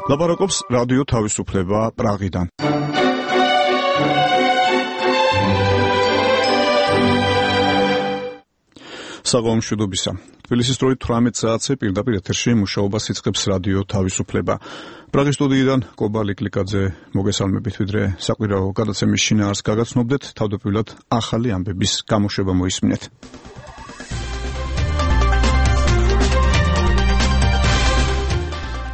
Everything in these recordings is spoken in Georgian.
ლაპარაკობს რადიო თავისუფლება პრაღიდან. საღამომშვიდობისა. თბილისის დროით 18 საათზე პირდაპირ ეთერში მუშაობას იწყებს რადიო თავისუფლება. პრაღის სტუდიიდან კობა ლიკლიკაძე მოგესალმებით, ვიდრე საკვირაო გადაცემის შინაარსს გაგაცნობდეთ, თავდაპირველად ახალი ამბების გამოშვება მოისმინეთ.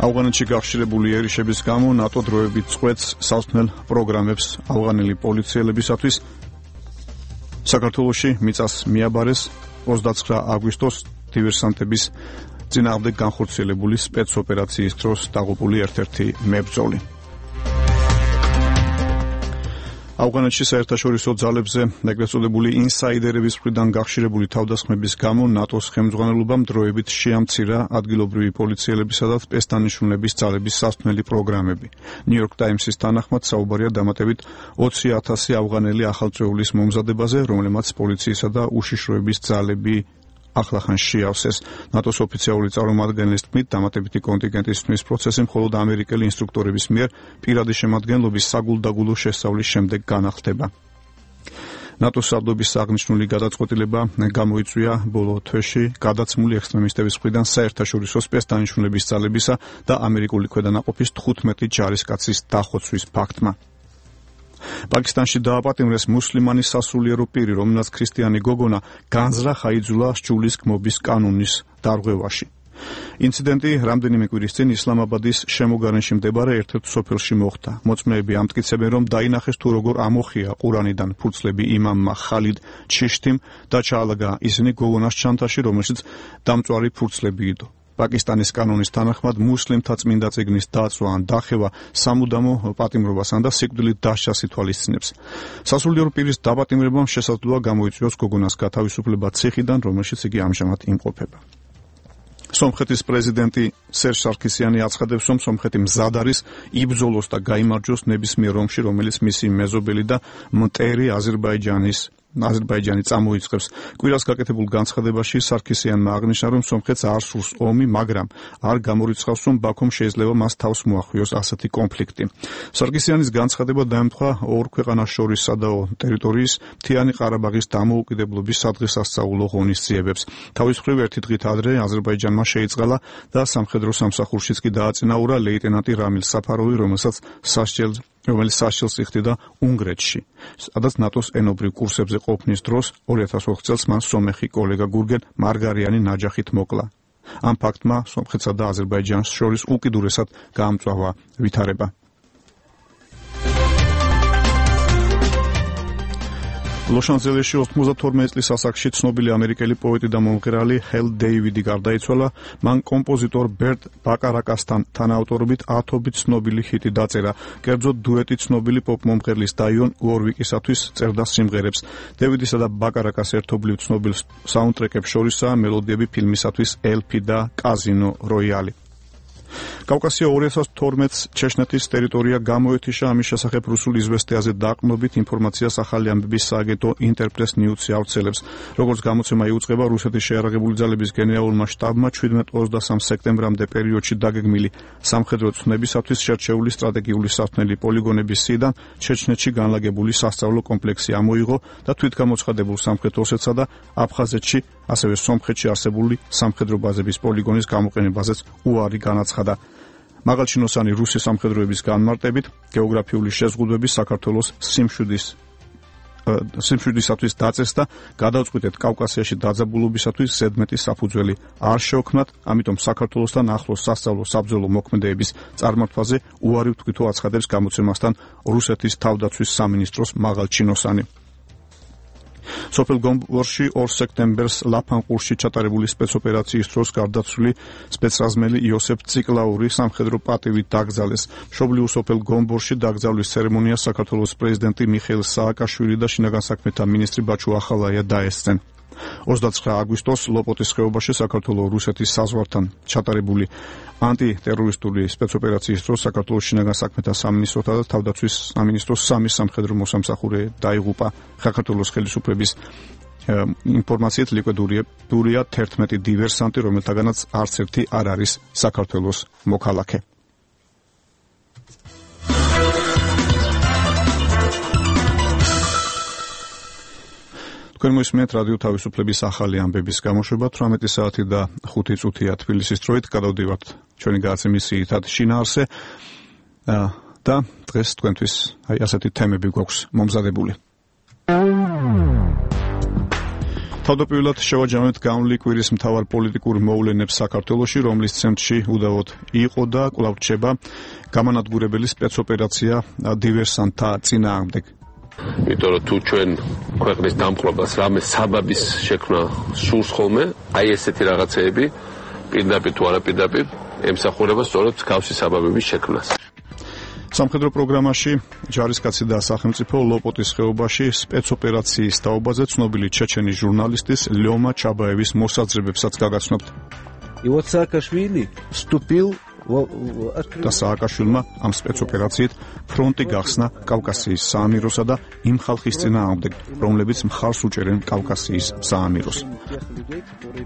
ავღანეთში გახშირებული ერიშების გამო ნატო დროებით წყვეტს სასმელ პროგრამებს ავღანელი პოლიციელებისათვის. საქართველოში მიწას მიაბარეს 29 აგვისტოს დივერსანტების წინააღმდეგ განხორციელებული სპეცოპერაციის დროს დაღუპული ერთ-ერთი მებრძოლი. ავღანეთში საერთაშორისო ძალებზე ეგრეთ წოდებული ინსაიდერების მხრიდან გახშირებული თავდასხმების გამო ნატოს ხელმძღვანელობამ დროებით შეამცირა ადგილობრივი პოლიციელებისა და სპეცდანიშნულების ძალების სასმელი პროგრამები. ნიუ-იორკ ტაიმსის თანახმად საუბარია დამატებით 20,000 ავღანელი ახალწეულის მომზადებაზე, რომლებმაც პოლიციისა და უშიშროების ძალები ახლახან შეავსეს. ნატოს ოფიციალური წარმომადგენლის თქმით, დამატებითი კონტინგენტის თმის პროცესი მხოლოდ ამერიკელი ინსტრუქტორების მიერ პირადი შემადგენლობის საგულდაგულო შესწავლის შემდეგ განახლდება. ნატოს სარდლობის აღნიშნული გადაწყვეტილება გამოიწვია ბოლო თვეში გადაცმული ექსტრემისტების მხრიდან საერთაშორისო სპეცდანიშნულების ძალებისა და ამერიკული ქვედანაყოფის 15 ჯარისკაცის დახოცვის ფაქტმა. პაკისტანში დააპატიმრეს მუსლიმანი სასულიერო პირი, რომელსაც ქრისტიანი გოგონა განზრახ აიძულა სჯულის კმობის კანონის დარღვევაში. ინციდენტი რამდენიმე კვირის წინ ისლამაბადის შემოგარენში მდებარე ერთ-ერთ სოფელში მოხდა. მოწმეები ამტკიცებენ, რომ დაინახეს თუ როგორ ამოხია ყურანიდან ფურცლები იმამმა ხალიდ ჩიშტიმ და ჩაალაგა ისინი გოგონას ჩანთაში, რომელშიც დამწვარი ფურცლები იდო. პაკისტანის კანონის თანახმად მუსლიმთა წმინდა წიგნის დაწვა ან დახევა სამუდამო პატიმრობასთან და სიკვდილით დასჯას ითვალისწინებს. სასულიერო პირის დაპატიმრებამ შესაძლოა გამოიწვიოს გოგონას გათავისუფლება ციხიდან, რომელშიც იგი ამჟამად იმყოფება. სომხეთის პრეზიდენტი სერჟ სარქისიანი აცხადებს, რომ სომხეთი მზად არის იბრძოლოს და გაიმარჯვოს ნებისმიერ ომში, რომელიც მისი მეზობელი და მტერი აზერბაიჯანი წამოიწყებს. კვირას გაკეთებულ განცხადებაში სარქისიანმა აღნიშნა, რომ სომხეთს არ სურს ომი, მაგრამ არ გამორიცხავს, რომ ბაქომ შეიძლება მას თავს მოახვიოს ასეთი კონფლიქტი. სარქისიანის განცხადება დაემთხვა ორ ქვეყანას შორის სადაო ტერიტორიის მთიანი ყარაბაღის დამოუკიდებლობის სადღესასწაულო ღონისძიებებს. თავის მხრივ ერთი დღით ადრე აზერბაიჯანმა შეიწყალა და სამხედრო სამსახურშიც კი დააწინაურა ლეიტენანტი რამილ საფაროვი, რომელიც სასჯელს იხდიდა უნგრეთში, სადაც ნატოს ენობრივ კურსებზე ყოფნის დროს 2004 წელს მან სომეხი კოლეგა გურგენ მარგარიანი ნაჯახით მოკლა. ამ ფაქტმა სომხეთსა და აზერბაიჯანს შორის უკიდურესად გაამწვავა ვითარება. ლოს-ანჯელესში 92 წლის ასაკში ცნობილი ამერიკელი პოეტი და მომღერალი ჰელ დეივიდი გარდაიცვალა. მან კომპოზიტორ ბერტ ბაკარაკასთან თანაავტორობით 10 ცნობილი ჰიტი დაწერა. კერძოდ დუეტი ცნობილი პოპ მომღერლის დაიონ უორვიკისათვის წერდა სიმღერებს. დევიდისა და ბაკარაკას ერთობლივ ცნობილ საუნდტრეკებს შორისაა მელოდიები ფილმისათვის ელფი და კაზინო როიალი. კავკასია 2012-ს ჩეჩნეთის ტერიტორია გამოეთიშა. ამის შესახებ რუსულ იზვესტიაზე დაყრდნობით ინფორმაციას ახალი ამბების სააგენტო ინტერპრეს ნიუსი ავრცელებს. როგორც გამოცემა იუწყება, რუსეთის შეიარაღებული ძალების გენერალურმა შტაბმა 17-23 სექტემბრამდე პერიოდში დაგეგმილი სამხედრო ცნებისათვის შერჩეული სტრატეგიული სასმელი პოლიგონების სიიდან ჩეჩნეთში განლაგებული სასწავლო კომპლექსი ამოიღო და თვითგამოცხადებულ სამხრეთ ოსეთსა და აფხაზეთში, ასევე სომხეთში არსებული სამხედრო ბაზების პოლიგონის გამოყენებაზეც უარი განაცხადა. მაღალჩინოსანი რუსი სამხედროების განმარტებით გეოგრაფიული შეზღუდვები საქართველოს სიმშვიდისათვის დაწეს და გადავწყვიტეთ კავკასიაში დაძაბულობისათვის ზედმეტი საფუძველი არ შეოქმნათ, ამიტომ საქართველოსთან ახლოს სასწავლო საბრძოლო მოქმედებების წარმართვაზე უარი ვთქვითო, აცხადებს გამოცემასთან რუსეთის თავდაცვის სამინისტროს მაღალჩინოსანი. სოფელ გომბორში 2 სექტემბერს ლაფანყურში ჩატარებული სპეცოპერაციის დროს გარდაცვლილი სპეცრაზმელი იოსებ ციკლაური სამხედრო პატივით დაკრძალეს. მშობლიურ სოფელ გომბორში დაკრძალვის ცერემონიას საქართველოს პრეზიდენტი მიხეილ სააკაშვილი და შინაგან საქმეთა მინისტრი ბაჩუ ახალაია დაესწრნენ. 29 აგვისტოს ლოპოტის ხეობაში საქართველოს რუსეთის საზღვართან ჩატარებული ანტიტერორისტული სპეცოპერაციის დროს საქართველოს შინაგან საქმეთა სამინისტროთა და თავდაცვის სამინისტროს სამი სამხედრო მოსამსახურე დაიღუპა. საქართველოს ხელისუფლების ინფორმაციით ლიკვიდურია 11 დივერსანტი, რომელთაგანაც არც ერთი არ არის საქართველოს მოქალაქე. თქვენ მოისმენთ რადიო თავისუფლების ახალი ამბების გამოშვება 18 საათი და 5 წუთია თბილისის დროით. გადავდივართ ჩვენი გადაცემის ძირითად შინაარსზე და დღეს თქვენთვის ასეთი თემები გვაქვს მომზადებული. თავდაპირველად შევაჯამებთ განვლილი კვირის მთავარ პოლიტიკურ მოვლენებს საქართველოში, რომლის ცენტრში უდავოდ იყო და კვლავ რჩება გამანადგურებელი სპეცოპერაცია დივერსანტთა წინააღმდეგ. იმიტომ რომ თუ ჩვენ ქვეყნის დამყრობას რამე საბაბის შექმნა სურს ხოლმე, აი ესეთი რაღაცეები პირდაპირ თუ არაპირდაპირ ემსახურება სწორედ მსგავსი საბაბების შექმნას. სამხედრო პროგრამაში ჯარისკაცი და სახელმწიფო ლოპოტის ხეობაში სპეცოპერაციის თაობაზე ცნობილი ჩეჩენი ჟურნალისტის ლიომა ჩაბაევის მოსაზრებებსაც გაგაცნობთ. И вот Саакашвили вступил და სააკაშვილმა ამ სპეცოპერაციით ფრონტი გახსნა კავკასიის საამიროსა და იმ ხალხის წინააღმდეგ, რომლებიც მხარს უჭერენ კავკასიის საამიროს.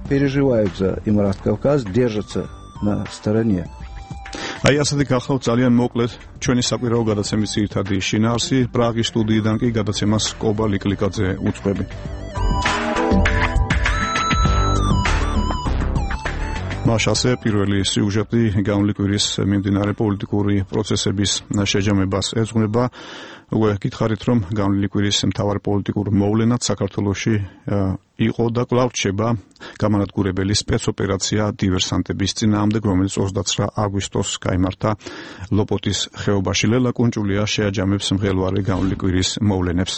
переживают за Имарат Кавказ, держатся на стороне. აი ასეთი გახლავთ ძალიან მოკლედ ჩვენი საკვირაო გადაცემის ძირითადი შინაარსი. პრაღის სტუდიიდან კი გადაცემას კობა ლიკლიკაძე უწყობი. მასე პირველი სიუჟეტი განვლილი კვირის მიმდინარე პოლიტიკური პროცესების შეჯამებას ეძღვნება. უკვე გითხარით, რომ განვლილი კვირის მთავარ პოლიტიკურ მოვლენად საქართველოში იყო და კვლავ რჩება გამანადგურებელი სპეცოპერაცია დივერსანტების წინააღმდეგ, რომელიც 29 აგვისტოს გაიმართა ლოპოტის ხეობაში. ლელა კუნჭულია შეაჯამებს მღელვარე განვლილი კვირის მოვლენებს.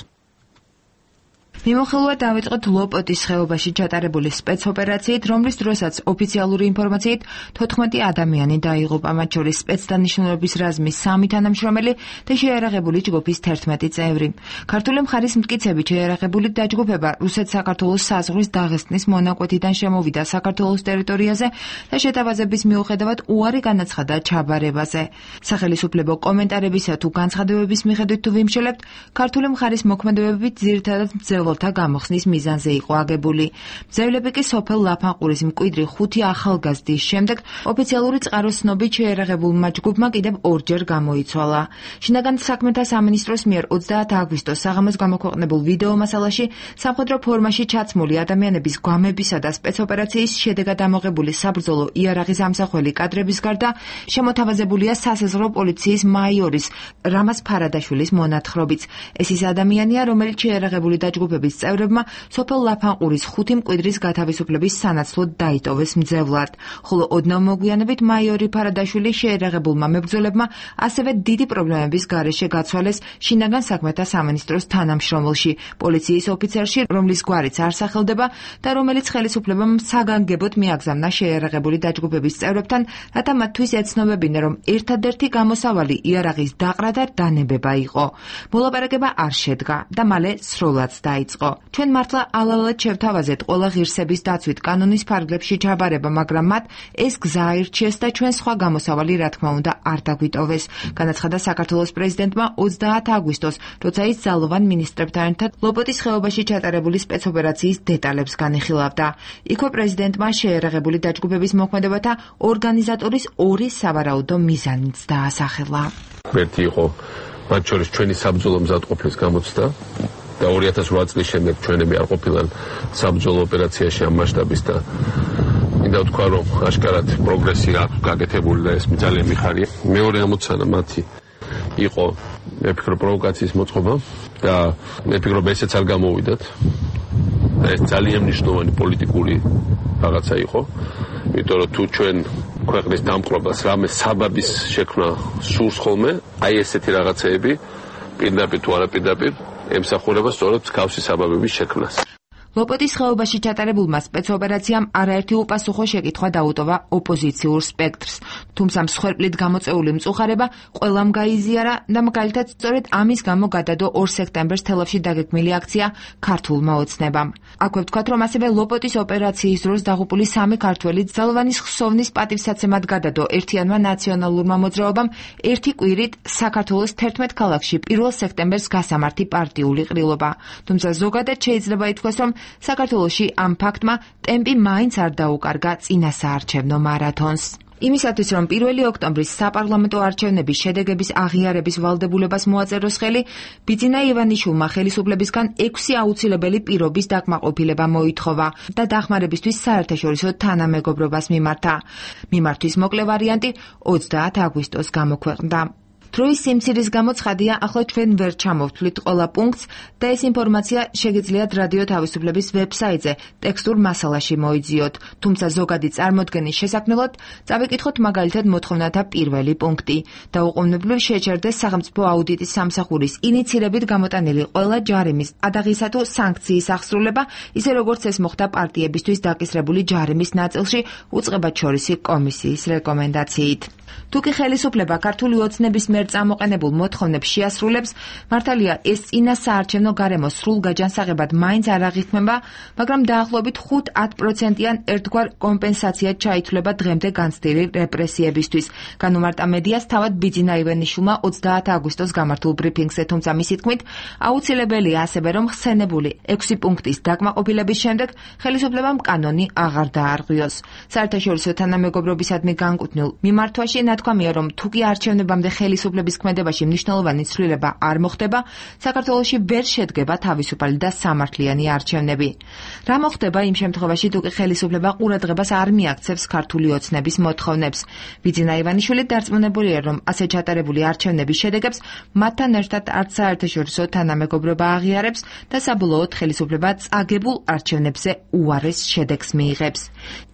მიმოხილვა დავიწყოთ ლოპოტის ხეობაში ჩატარებული სპეცოპერაციით, რომლის დროსაც ოფიციალური ინფორმაციით 14 ადამიანი დაიღუპა, მათ შორის სპეცდანიშნულების რაზმის 3 თანამშრომელი და შეიარაღებული ჯგუფის 11 წევრი. ქართული მხარის მტკიცებით შეიარაღებული დაჯგუფება რუსეთ-საქართველოს საზღვრის დაღესტნის მონაკვეთიდან შემოვიდა საქართველოს ტერიტორიაზე და შეტაბაზების მიუხედავად უარი განაცხადა ჩაბარებაზე. სახელისუფლებო კომენტარებისა თუ განცხადებების მიხედვით თუ ვიმშელებთ, ქართული მხარის მოქმედებებით ძირითადად მძევლთა გამოხსნის მიზანზე იყო აგებული. მძევლები კი სოფელ ლაფანყურის მკვიდრი 5 ახალგაზრდის შემდეგ ოფიციალური წყაროს ცნობით შეიარაღებულმა ჯგუფმა კიდევ ორჯერ გამოიცვალა. შინაგან საქმეთა სამინისტროს მიერ 30 აგვისტოს საღამოს გამოქვეყნებულ ვიდეო მასალაში სამხედრო ფორმაში ჩაცმული ადამიანების გვამებისა და სპეცოპერაციის შედეგად ამოღებული საბრძოლო იარაღის ამსახველი კადრების გარდა შემოთავაზებულია სასაზღვრო პოლიციის მაიორის რამაზ ფარადაშვილის მონათხრობიც. ეს ის ადამიანია, რომელიც შეიარაღებული დაჯგუფების წევრებმა სოფელ ლაფანყურის 5 მკვიდრის გათავისუფლების სანაცვლოდ დაიტოვეს მძევლად. ხოლო ოდნავ მოგვიანებით მაიორი ფარადაშვილი შეიარაღებულმა მებრძოლებმა ასევე დიდი პრობლემების გარეშე გაცვალეს შინაგან საქმეთა სამინისტროს თანამშრომელში, პოლიციის ოფიცერში, რომლის გვარიც არ სახელდება და რომელიც ხელისუფლებამ საგანგებოდ მიაგზავნა შეიარაღებული დაჯგუფების წევრებთან, რათა მათთვის ეცნობებინა, რომ ერთადერთი გამოსავალი იარაღის დაყრა და დანებება იყო. მოლაპარაკება არ შედგა და მალე სრულად დაიწყო. ჩვენ მართლა ალალად შევთავაზეთ ყველა ღირსების დაცვით კანონის ფარგლებში ჩაბარება, მაგრამ მათ ეს გზა აირჩიეს და ჩვენ სხვა გამოსავალი რა თქმა უნდა არ დაგვიტოვეს, განაცხადა საქართველოს პრეზიდენტმა 30 აგვისტოს, როცა ის ძალოვან მინისტრებთან ერთად ლოპოტის ხეობაში ჩატარებული სპეცოპერაციის დეტალებს განიხილავდა. იქვე პრეზიდენტმა შეიარაღებული დაჯგუფების მოქმედებათა ორგანიზატორის 2 სავარაუდო მიზანიც დაასახელა. ერთი იყო მათ შორის ჩვენი საბრძოლო მზადყოფნის გამოცდა და 2008 წლის შემდეგ ჩვენები არ ყოფილან საბრძოლო ოპერაციაში ამ მასშტაბის და მინდა ვთქვა, რომ აშკარად პროგრესი აქვს გაკეთებული და ეს ძალიან მიხარია. მეორე ამოცანა მათი იყო, მე ვფიქრობ, პროვოკაციის მოწყობა და მე ვფიქრობ, ესეც არ გამოვიდათ. ეს ძალიან მნიშვნელოვანი პოლიტიკური რაღაცა იყო, იმიტომ რომ თუ ჩვენ ქვეყნის დამყრობას რამე საბაბის შექმნა სურს ხოლმე, აი ესეთი რაღაცეები პირდაპირ თუ არაპირდაპირ ემსახურება სწორედ მსგავსი საბაბების შექმნას. ლოპოტის ხეობაში ჩატარებულმა სპეცოპერაციამ არაერთი უპასუხო შეკითხვა დაუტოვა ოპოზიციურ სპექტრს, თუმცა მსხვერპლით გამოწეული მწუხარება ყველამ გაიზიარა და მაგალითად სწორედ ამის გამო გადადო 2 სექტემბერს თელავში დაგეგმილი აქცია ქართულმა ოცნებამ. აქვე ვთქვათ, რომ ასევე ლოპოტის ოპერაციის დროს დაღუპული 3 ქართველი ძალოვანის ხსოვნის პატივსაცემად გადადო ერთიანმა ნაციონალურმა მოძრაობამ ერთი კვირით საქართველოს 11 ქალაქში 1 სექტემბერს გასამართი პარტიული ყრილობა. თუმცა ზოგადად შეიძლება ითქვას, რომ საქართველოში ამ ფაქტმა ტემპი მაინც არ დაუკარგა წინასაარჩევნო მარათონს. იმისათვის, რომ 1 ოქტომბრის საპარლამენტო არჩევნების შედეგების აღიარების ვალდებულებას მოაწეროს ხელი, ბიძინა ივანიშვილმა ხელისუფლებისგან 6 აუცილებელი პირობის დაკმაყოფილება მოითხოვა და დახმარებისთვის საერთაშორისო თანამეგობრობას მიმართა. მიმართვის მოკლე ვარიანტი 30 აგვისტოს გამოქვეყნდა. დროის სიმცირის გამო ცხადია, ახლა ჩვენ ვერ ჩამოვთვლით ყველა პუნქტს და ეს ინფორმაცია შეგიძლიათ რადიო თავისუფლების ვებსაიტზე ტექსტურ მასალაში მოიძიოთ. თუმცა ზოგადი წარმოდგენის შესაქმნელად წავიკითხოთ მაგალითად მოთხოვნათა პირველი პუნქტი. დაუყოვნებლივ შეჩერდეს სახელმწიფო აუდიტის სამსახურის ინიცირებით გამოტანილი ყველა ჯარიმის ადაღისა თუ სანქციის აღსრულება, ისე როგორც ეს მოხდა პარტიებისთვის დაკისრებული ჯარიმის ნაწილში უწყებათშორისი კომისიის რეკომენდაციით. თუკი ხელისუფლება ქართული ოცნების მიერ წამოყენებულ მოთხოვნებს შეასრულებს, მართალია ეს წინა საარჩევნო გარემო სრულ გაჯანსაღებად მაინც არ აღიქმება, მაგრამ დაახლოებით 5-10%-იან ერთგვარ კომპენსაციად ჩაითვლება დღემდე განცდილი რეპრესიებისთვის. განუმარტა მედიას თავად ბიძინა ივანიშვილმა 30 აგვისტოს გამართულ ბრიფინგზე, თუმცა მისი თქმით, აუცილებელია ასევე, რომ ხსენებული 6 პუნქტის დაკმაყოფილების შემდეგ ხელისუფლებამ კანონი აღარ დაარღვიოს. საერთაშორისო თანამეგობრობისადმი განკუთვნილ მიმართვაში ნათქვამია, რომ თუკი არჩევნებამდე ხელისუფლების ქმედებაში მნიშვნელოვანი ცვლილება არ მოხდება, საქართველოში ვერ შედგება თავისუფალი და სამართლიანი არჩევნები. რა მოხდება იმ შემთხვევაში, თუკი ხელისუფლება ყურადღებას არ მიაქცევს ქართული ოცნების მოთხოვნებს? ბიძინა ივანიშვილი დარწმუნებულია, რომ ასე ჩატარებული არჩევნების შედეგებს მათთან ერთად არც საერთაშორისო თანამეგობრობა აღიარებს და საბოლოოდ ხელისუფლება წაგებულ არჩევნებზე უარეს შედეგს მიიღებს.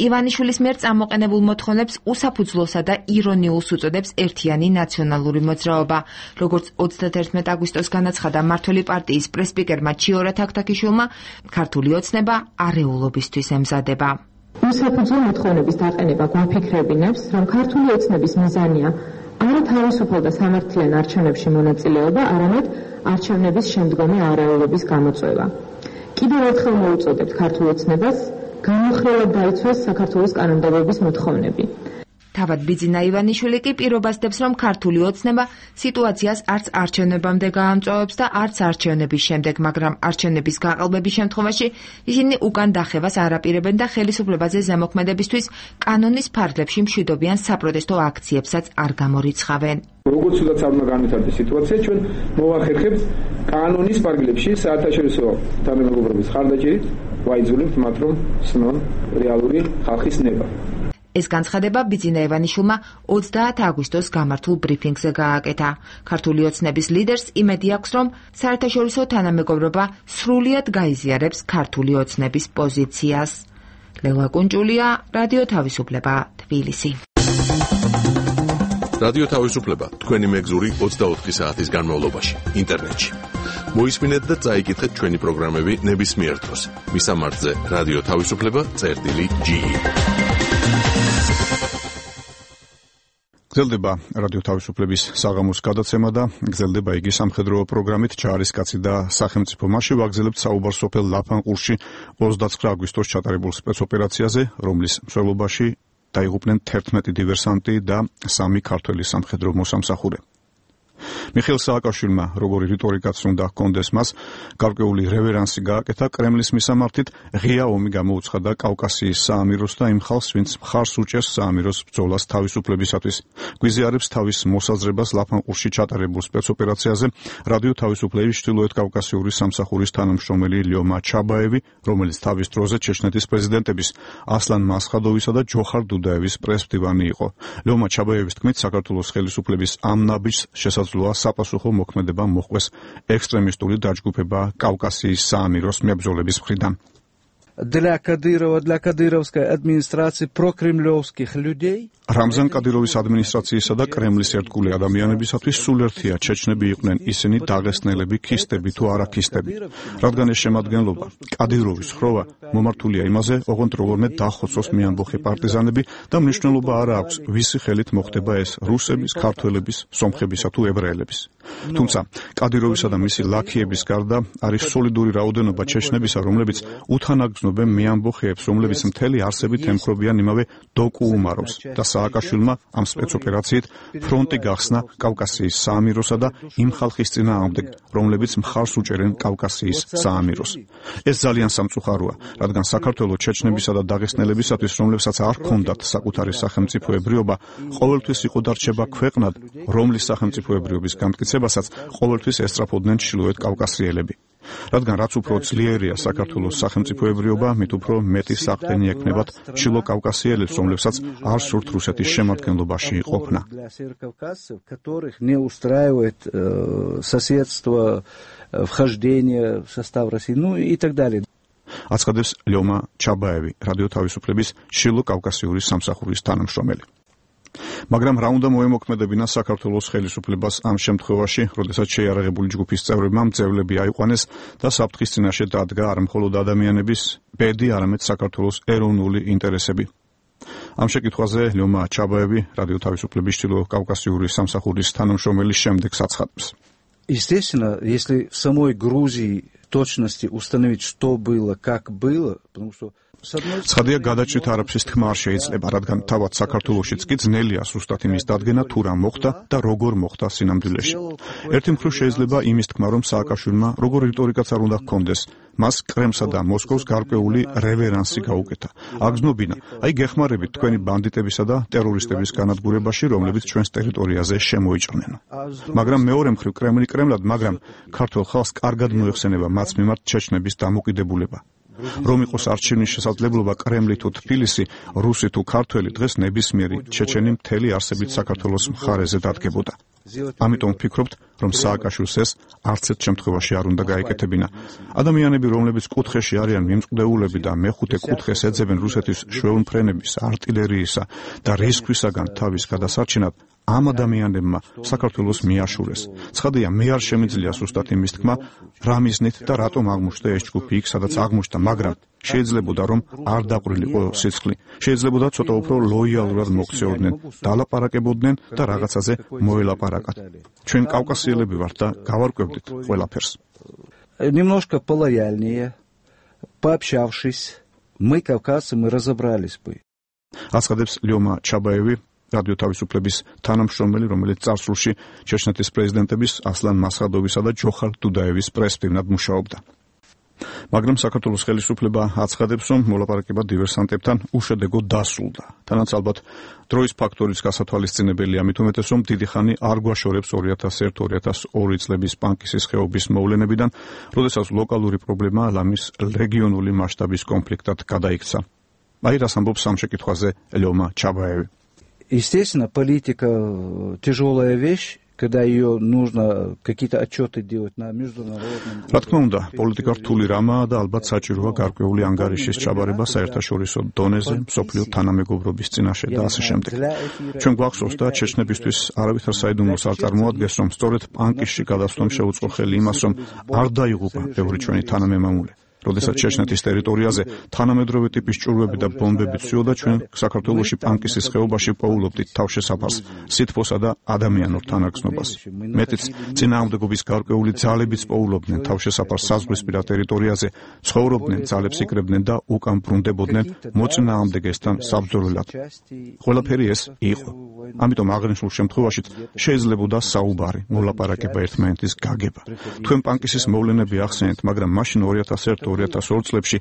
ივანიშვილის მიერ წამოყენებულ მოთხოვნებს უსაფუძვლოსა და ირონიულს უწოდებს ერთიანი ნაციონალური მოძრაობა. როგორც 31 აგვისტოს განაცხადა მმართველი პარტიის პრესპიკერმა ჩიორა თაქთაქიშვილმა, ქართული ოცნება არეულობისთვის ემზადება. უსაფუძვლო მოთხოვნების დაყენება გვაფიქრებინებს, რომ ქართული ოცნების მიზანია არა თავისუფალ და სამართლიან არჩევნებში მონაწილეობა, არამედ არჩევნების შემდგომი არეულობის გამოწვევა. კიდევ ერთხელ მოუწოდებთ ქართულ ოცნებას განუხრელად დაიცვას საქართველოს კანონმდებლობის მოთხოვნები. თავად ბიძინა ივანიშვილი კი პირობას დებს, რომ ქართული ოცნება სიტუაციას არც არჩევნებამდე გაამწვავებს და არც არჩევნების შემდეგ, მაგრამ არჩევნების გაყალბების შემთხვევაში ისინი უკან დახევას არ აპირებენ და ხელისუფლებაზე ზემოქმედებისთვის კანონის ფარგლებში მშვიდობიან საპროტესტო აქციებსაც არ გამორიცხავენ. როგორც უდაც არ უნდა განვითარდეს სიტუაცია, ჩვენ მოვახერხებთ კანონის ფარგლებში საერთაშორისო თანამეგობრობის ხარდაჭერით ვაიძულებთ მათ, რომ სნონ რეალური ხალხის ნება. ეს განცხადება ბიძინა ივანიშვილმა 30 აგვისტოს გამართულ ბრიფინგზე გააკეთა. ქართული ოცნების ლიდერს იმედი აქვს, რომ საერთაშორისო თანამეგობრობა სრულიად გაიზიარებს ქართული ოცნების პოზიციას. ლელა კუნჭულია, რადიო თავისუფლება, თბილისი. რადიო თავისუფლება თქვენი მეგზური 24 საათის განმავლობაში ინტერნეტში. მოისმინეთ და წაიკითხეთ ჩვენი პროგრამები ნებისმიერ დროს. მისამართზე რადიო თავისუფლება.ge. გრძელდება რადიო თავისუფლების საღამოს გადაცემა და გრძელდება იგი სამხედრო პროგრამით ჯარისკაცი და სახელმწიფო. მასში ვაგრძელებთ საუბარს სოფელ ლაფანყურში 29 აგვისტოს ჩატარებულ სპეცოპერაციაზე, რომლის მსვლელობაში დაიღუპნენ 11 დივერსანტი და 3 ქართველი სამხედრო მოსამსახურე. მიხეილ სააკაშვილმა, როგორი რიტორიკაც უნდა ჰქონდეს მას, გარკვეული რევერანსი გააკეთა კრემლის მისამართით, ღია ომი გამოუცხადა კავკასიის საამიროს და იმ ხალხს, ვინც მხარს უჭერს საამიროს ბრძოლას თავისუფლებისათვის. გვიზიარებს თავის მოსაზრებას ლაფანყურში ჩატარებულ სპეცოპერაციაზე რადიო თავისუფლების ჩრდილოეთ კავკასიური სამსახურის თანამშრომელი ლიომა ჩაბაევი, რომელიც თავის დროზე ჩეჩნეთის პრეზიდენტების ასლან მასხადოვისა და ჯოხარ დუდაევის პრესმდივანი იყო. ლიომა ჩაბაევის თქმით, საქართველოს ხელისუფლების ამ ნაბიჯს შესაძლოა საპასუხო მოქმედება მოჰყვეს ექსტრემისტული დაჯგუფება კავკასიის საამიროს მებრძოლების მხრიდან. Для Кадырова, для кадыровской администрации прокремлевских людей რამზან კადიროვის ადმინისტრაციისა და კრემლის ერთგული ადამიანებისათვის სულ ერთია ჩეჩნები იყვნენ ისინი დაღესტნელები, ქისტები თუ არაქისტები. რადგან ეს შემადგენლობა კადიროვის ხროვა მომართულია იმაზე, ოღონდ როგორმე დახოცოს მეამბოხე პარტიზანები და მნიშვნელობა არა აქვს, ვისი ხელით მოხდება ეს რუსების, ქართველების, სომხებისა თუ ებრაელების. თუმცა კადიროვისა და მისი ლაქიების გარდა არის სოლიდური რაოდენობა ჩეჩნებისა, რომლებიც უთანაგზნო ცნობენ მე ამბოხეებს, რომლებიც მთელი არსებით ემხრობიან იმავე დოკუმაროს და სააკაშვილმა ამ სპეცოპერაციით ფრონტი გახსნა კავკასიის საამიროსა და იმ ხალხის წინააღმდეგ, რომლებიც მხარს უჭერენ კავკასიის საამიროს. ეს ძალიან სამწუხაროა, რადგან საქართველოს ჩეჩნებისა და დაღესტნელებისათვის, რომლებსაც არ ჰქონდათ საკუთარი სახელმწიფოებრიობა, ყოველთვის იყო და რჩება ქვეყნად, რომლის სახელმწიფოებრიობის გამტკიცებასაც ყოველთვის ესწრაფოდნენ ჩრდილოეთ კავკასიელები. რადგან რაც უფრო ძლიერია საქართველოს სახელმწიფოებრიობა, მით უფრო მეტი საყრდენი ექნებათ ჩრდილო კავკასიელებს, რომლებსაც არ სურთ რუსეთის შემადგენლობაში ყოფნა. აცხადებს ლიომა ჩაბაევი, რადიო თავისუფლების ჩრდილო კავკასიური სამსახურის თანამშრომელი. მაგრამ რა უნდა მოემოქმედებინა საქართველოს ხელისუფლებას ამ შემთხვევაში, როდესაც შეიარაღებული ჯგუფის წევრებმა მძევლები აიყვანეს და საფრთხის წინაშე დადგა არ მხოლოდ ადამიანების ბედი, არამედ საქართველოს ეროვნული ინტერესები. ამ შეკითხვაზე ლიომა ჩაბაევი, რადიო თავისუფლების ჩრდილო კავკასიური სამსახურის თანამშრომელი, შემდეგს აცხადებს. Естественно, если в самой Грузии точности установить, что было, как было, потому что ცხადია, გადაჭრით არაფრის თქმა არ შეიძლება, რადგან თავად საქართველოშიც კი ძნელია სუსტად იმის დადგენა, თუ რა მოხდა და როგორ მოხდა სინამდვილეში. ერთი მხრივ შეიძლება იმის თქმა, რომ სააკაშვილმა როგორ რიტორიკაც არ უნდა ჰქონდეს, მას კრემსა და მოსკოვს გარკვეული რევერანსი გაუკეთა. აგზნობინა, აი გეხმარებით თქვენი ბანდიტებისა და ტერორისტების განადგურებაში, რომლებიც ჩვენს ტერიტორიაზე შემოიჭრნენ. მაგრამ მეორე მხრივ კრემლად, მაგრამ ქართულ ხალხს კარგად მოეხსენება მათ მიმართ ჩეჩნების დამოკიდებულება. რომ იყოს არჩევნის შესაძლებლობა კრემლი თუ თბილისი, რუსი თუ ქართველი, დღეს ნებისმიერი ჩეჩენი მთელი არსებით საქართველოს მხარეზე დადგებოდა. ამიტომ ვფიქრობთ, რომ სააკაშვილს ეს არც ერთ შემთხვევაში არ უნდა გაეკეთებინა. ადამიანები, რომლებიც კუთხეში არიან მიმწყდეულები და მეხუთე კუთხეს ეძებენ რუსეთის შვეულმფრენების, არტილერიისა და რისხვისაგან თავის გადასარჩენად, ამ ადამიანებმა საქართველოს მიაშურეს. ცხადია, მე არ შემიძლია სუსტად იმის თქმა, რა მიზნით და რატომ აღმოჩნდა ეს ჯგუფი იქ, სადაც აღმოჩნდა, მაგრამ შეიძლებოდა რომ არ დაყრილიყო სიცხლი. შეიძლება ცოტა უფრო ლოიალურად მოქცეოდნენ, დალაპარაკებოდნენ და რაღაცაზე მოელაპარაკათ. ჩვენ კავკასიელები ვართ და გავარკვევდით ყველაფერს. Немножко полояльнее, пообщавшись, мы кавказцы, мы разобрались бы. აცხადებს ლიომა ჩაბაევი, რადიო თავისუფლების თანამშრომელი, რომელიც წარსულში ჩეჩნეთის პრეზიდენტების ასლან მასხადოვისა და ჯოხარ დუდაევის პრესპირნად მუშაობდა. მაგრამ საქართველოს ხელისუფლება აცხადებს, რომ მოლაპარაკება დივერსანტებთან უშედეგო დასრულდა. თანაც ალბათ დროის ფაქტორის გასათვალისწინებელია, მით უმეტეს, რომ დიდი ხანი არ გვაშორებს 2001-2002 წლების პანკისის ხეობის მოვლენებიდან, როდესაც ლოკალური პრობლემა ლამის რეგიონული მასშტაბის კონფლიქტად გადაიქცა. აი რას ამბობს ამ შეკითხვაზე ლიომა ჩაბაევი. Естественно, политика тяжелая вещь, когда ее нужно какие-то отчеты делать на международном. რა თქმა უნდა, პოლიტიკა რთული რამაა და ალბათ საჭიროა გარკვეული ანგარიშის ჩაბარება საერთაშორისო დონეზე, მსოფლიო თანამეგობრობის წინაშე და ასე შემდეგ. ჩვენ გვახსოვს და ჩეჩნებისთვის არავითარ საიდუმლოს არ წარმოადგენს, რომ სწორედ პანკისში გადასვლამ შეუწყო ხელი იმას, რომ არ დაიღუპა ბევრი ჩვენი თანამემამულე. როდესაც ჩეჩნეთის ტერიტორიაზე თანამედროვე ტიპის ჭურვები და ბომბები ცვიოდა, ჩვენ საქართველოში პანკისის ხეობაში პოულობდით თავშესაფარს, სითბოსა და ადამიანურ თანაგრძნობას. მეტიც, წინააღმდეგობის გარკვეული ძალებიც პოულობდნენ თავშესაფარს საზღვრისპირა ტერიტორიაზე, ცხოვრობდნენ, ძალებს იკრებდნენ და უკან ბრუნდებოდნენ მოწინააღმდეგესთან საბრძოლველად. ყველაფერი ეს იყო. ამიტომ აღნიშნულ შემთხვევაშიც შეიძლებოდა საუბარი, მოლაპარაკება, ერთმანეთის გაგება. თქვენ პანკისის მოვლენები ახსენეთ, მაგრამ მაშინ 2001-2002 წლებში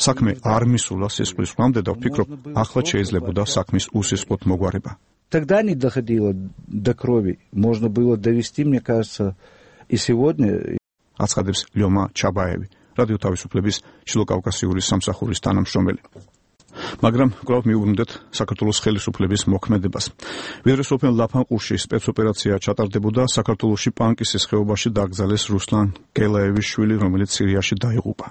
საქმე არ მისულა სისხლის ხვამდე და ვფიქრობ, ახლა შეიძლებოდა საქმის უსისხლოდ მოგვარება. Тогда не доходило до крови. Можно было довести, мне кажется, и сегодня. აცხადებს ლიომა ჩაბაევი, რადიო თავისუფლების ჩრდილო კავკასიური სამსახურის თანამშრომელი. მაგრამ კვლავ მიუბრუნდეთ საქართველოს ხელისუფლების მოქმედებას. ვიდრე სოფელ ლაფანყურში სპეცოპერაცია ჩატარდებოდა, საქართველოში პანკისის ხეობაში დაკრძალეს რუსლან გელაევის შვილი, რომელიც სირიაში დაიღუპა.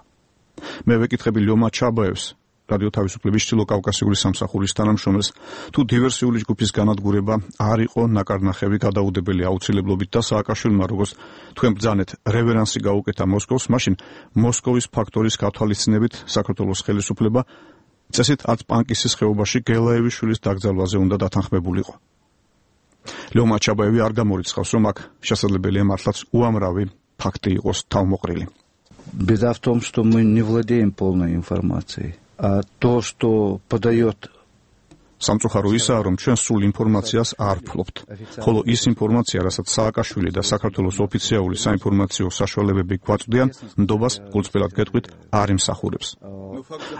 მე ვეკითხები ლიომა ჩაბაევს, რადიო თავისუფლების ჩრდილო კავკასიური სამსახურის თანამშრომელს, თუ დივერსიული ჯგუფის განადგურება არ იყო ნაკარნახევი გადაუდებელი აუცილებლობით და სააკაშვილმა, როგორც თქვენ ბრძანეთ, რევერანსი გაუკეთა მოსკოვს, მაშინ მოსკოვის ფაქტორის გათვალისწინებით საქართველოს ხელისუფლება წესით არც პანკისის ხეობაში გელაევის შვილის დაკრძალვაზე უნდა დათანხმებულიყო. ლიომა ჩაბაევი არ გამორიცხავს, რომ აქ შესაძლებელია მართლაც უამრავი ფაქტი იყოს თავმოყრილი. Беда в том, что мы не владеем полной информацией, а то, что подает სამწუხარო ისაა, რომ ჩვენ სულ ინფორმაციას არ ვფლობთ. ხოლო ის ინფორმაცია, რასაც სააკაშვილი და საქართველოს ოფიციალური საინფორმაციო საშუალებები გვაწვდიან, ნდობას გულწრფელად გეტყვით, არ იმსახურებს.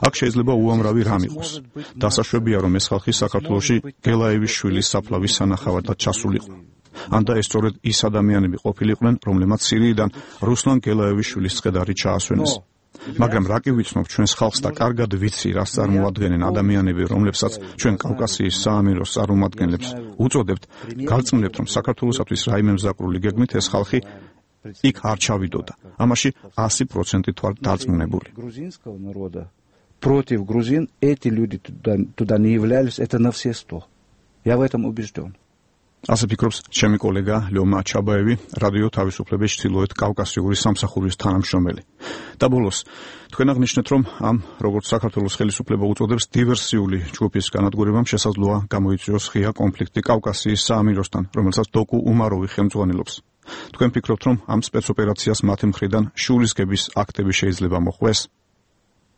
აქ შეიძლება უამრავი რამ იყოს. დასაშვებია, რომ ეს ხალხი საქართველოში გელაევის შვილის საფლავის სანახავად ჩასულიყო. ან და ეს სწორედ ის ადამიანები ყოფილიყვნენ, რომლებმაც სირიიდან რუსლან გელაევის შვილის წხედარი ჩაასვენეს. მაგრამ რა კი ვიცნობ ჩვენს ხალხს და კარგად ვიცი, რას წარმოადგენენ ადამიანები, რომლებსაც ჩვენ კავკასიის საამიროს წარმომადგენლებს უწოდებთ, გავწმუნებთ, რომ საქართველოსათვის რაიმე მზაკრული გეგმით ეს ხალხი იქ არ ჩავიდოდა. ამაში 100% ვარ დარწმუნებული. грузинского народа против грузин эти люди туда не являлись, это на все 100. Я в этом убежден. ასე ფიქრობს ჩემი კოლეგა ლეომა ჩაბაევი, რადიო თავისუფლების ჩრდილოეთ კავკასიური სამსახურის თანამშრომელი. და ბოლოს, თქვენ აღნიშნეთ, რომ ამ როგორც საქართველოს ხელისუფლება უწოდებს დივერსიული ჯგუფის განადგურებამ შესაძლოა გამოიწვიოს ღია კონფლიქტი კავკასიის საამიროსთან, რომელსაც დოკუ უმაროვი ხელმძღვანელობს. თქვენ ფიქრობთ, რომ ამ спецოპერაციას მათი მხრიდან შურისგების აქტები შეიძლება მოხდეს?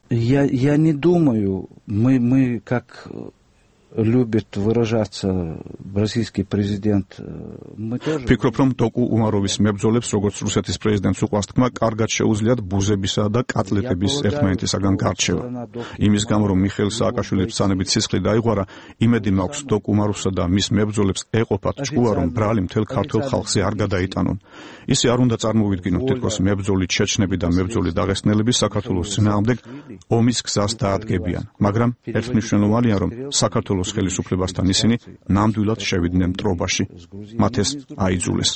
Я не думаю, мы как любит выражаться российский президент, мы тоже... Ფიქრობ, რომ დოკუ უმაროვის მებრძოლებს, როგორც რუსეთის პრეზიდენტს უყვარს თქმა, კარგად შეუძლიათ ბუზებისა და კატლეტების ერთმანეთისაგან გარჩევა. იმის გამო, რომ მიხეილ სააკაშვილის ბრძანებით სისხლი დაიღვარა, იმედი მაქვს დოკუ უმაროვსა და მის მებრძოლებს ეყოფათ ჭკუა, რომ ბრალი მთელ ქართულ ხალხზე არ გადაიტანონ. ისე არ უნდა წარმოვიდგინოთ, თითქოს მებრძოლი ჩეჩნები და მებრძოლი დაღესტნელები საქართველოს წინააღმდეგ ომის გზას დაადგებიან. მაგრამ ერთმნიშვნელოვანია, რომ საქართველოს ხელისუფლებასთან ისინი ნამდვილად შევიდნენ მტრობაში. მათ ეს აიძულეს.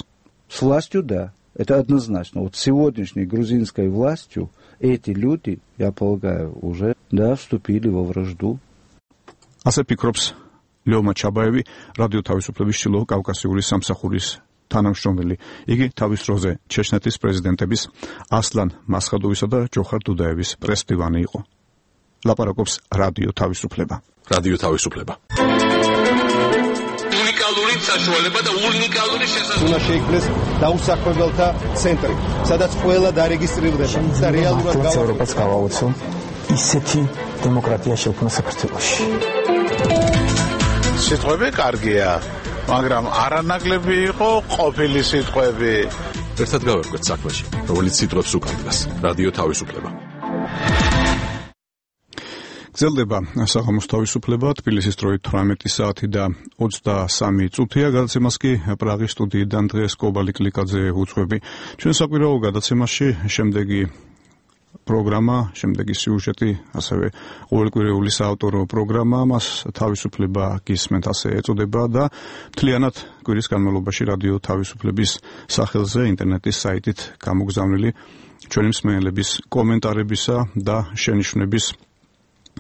С властью, да, это однозначно. Вот сегодняшней грузинской властью эти люди, я полагаю, уже вступили во вражду. ასე ფიქრობს ლეომა ჩაბაევი, რადიო თავისუფლების ჩრდილო კავკასიური სამსახურის თანამშრომელი. იგი თავის დროზე ჩეჩნეთის პრეზიდენტების ასლან მასხადოვისა და ჯოხარ დუდაევის პრესმდივანი იყო. ლაპარაკობს რადიო თავისუფლება. რადიო თავისუფლება. უნიკალური საშუალება და უნიკალური შესაძლებლობა. უნდა შეიქმნეს დაუსაქმებელთა ცენტრი, სადაც ყველა დარეგისტრირდება და რეალურად ევროპას გავაუწო ისეთი დემოკრატია შექმნა საქართველოში. სიტყვები კარგია, მაგრამ არანაკლები იყო ყოფილი სიტყვები. ერთად გავერკვეთ საქმეში, რომელიც სიტყვებს უკანდგას. რადიო თავისუფლება. გრძელდება საღამოს თავისუფლება, თბილისის დროით 18 საათი და 23 წუთია. გადაცემას კი პრაღის სტუდიიდან დღეს კობალი კლიკაძე უძღვები. ჩვენ საკვირაო გადაცემაში შემდეგი პროგრამა, შემდეგი სიუჟეტი, ასევე ყოველკვირეული საავტორო პროგრამა, მას თავისუფლება გისმენთ, ასე ეწოდება და მთლიანად კვირის განმავლობაში რადიო თავისუფლების სახელზე ინტერნეტის საიტით გამოგზავნილი ჩვენი მსმენელების კომენტარებისა და შენიშვნების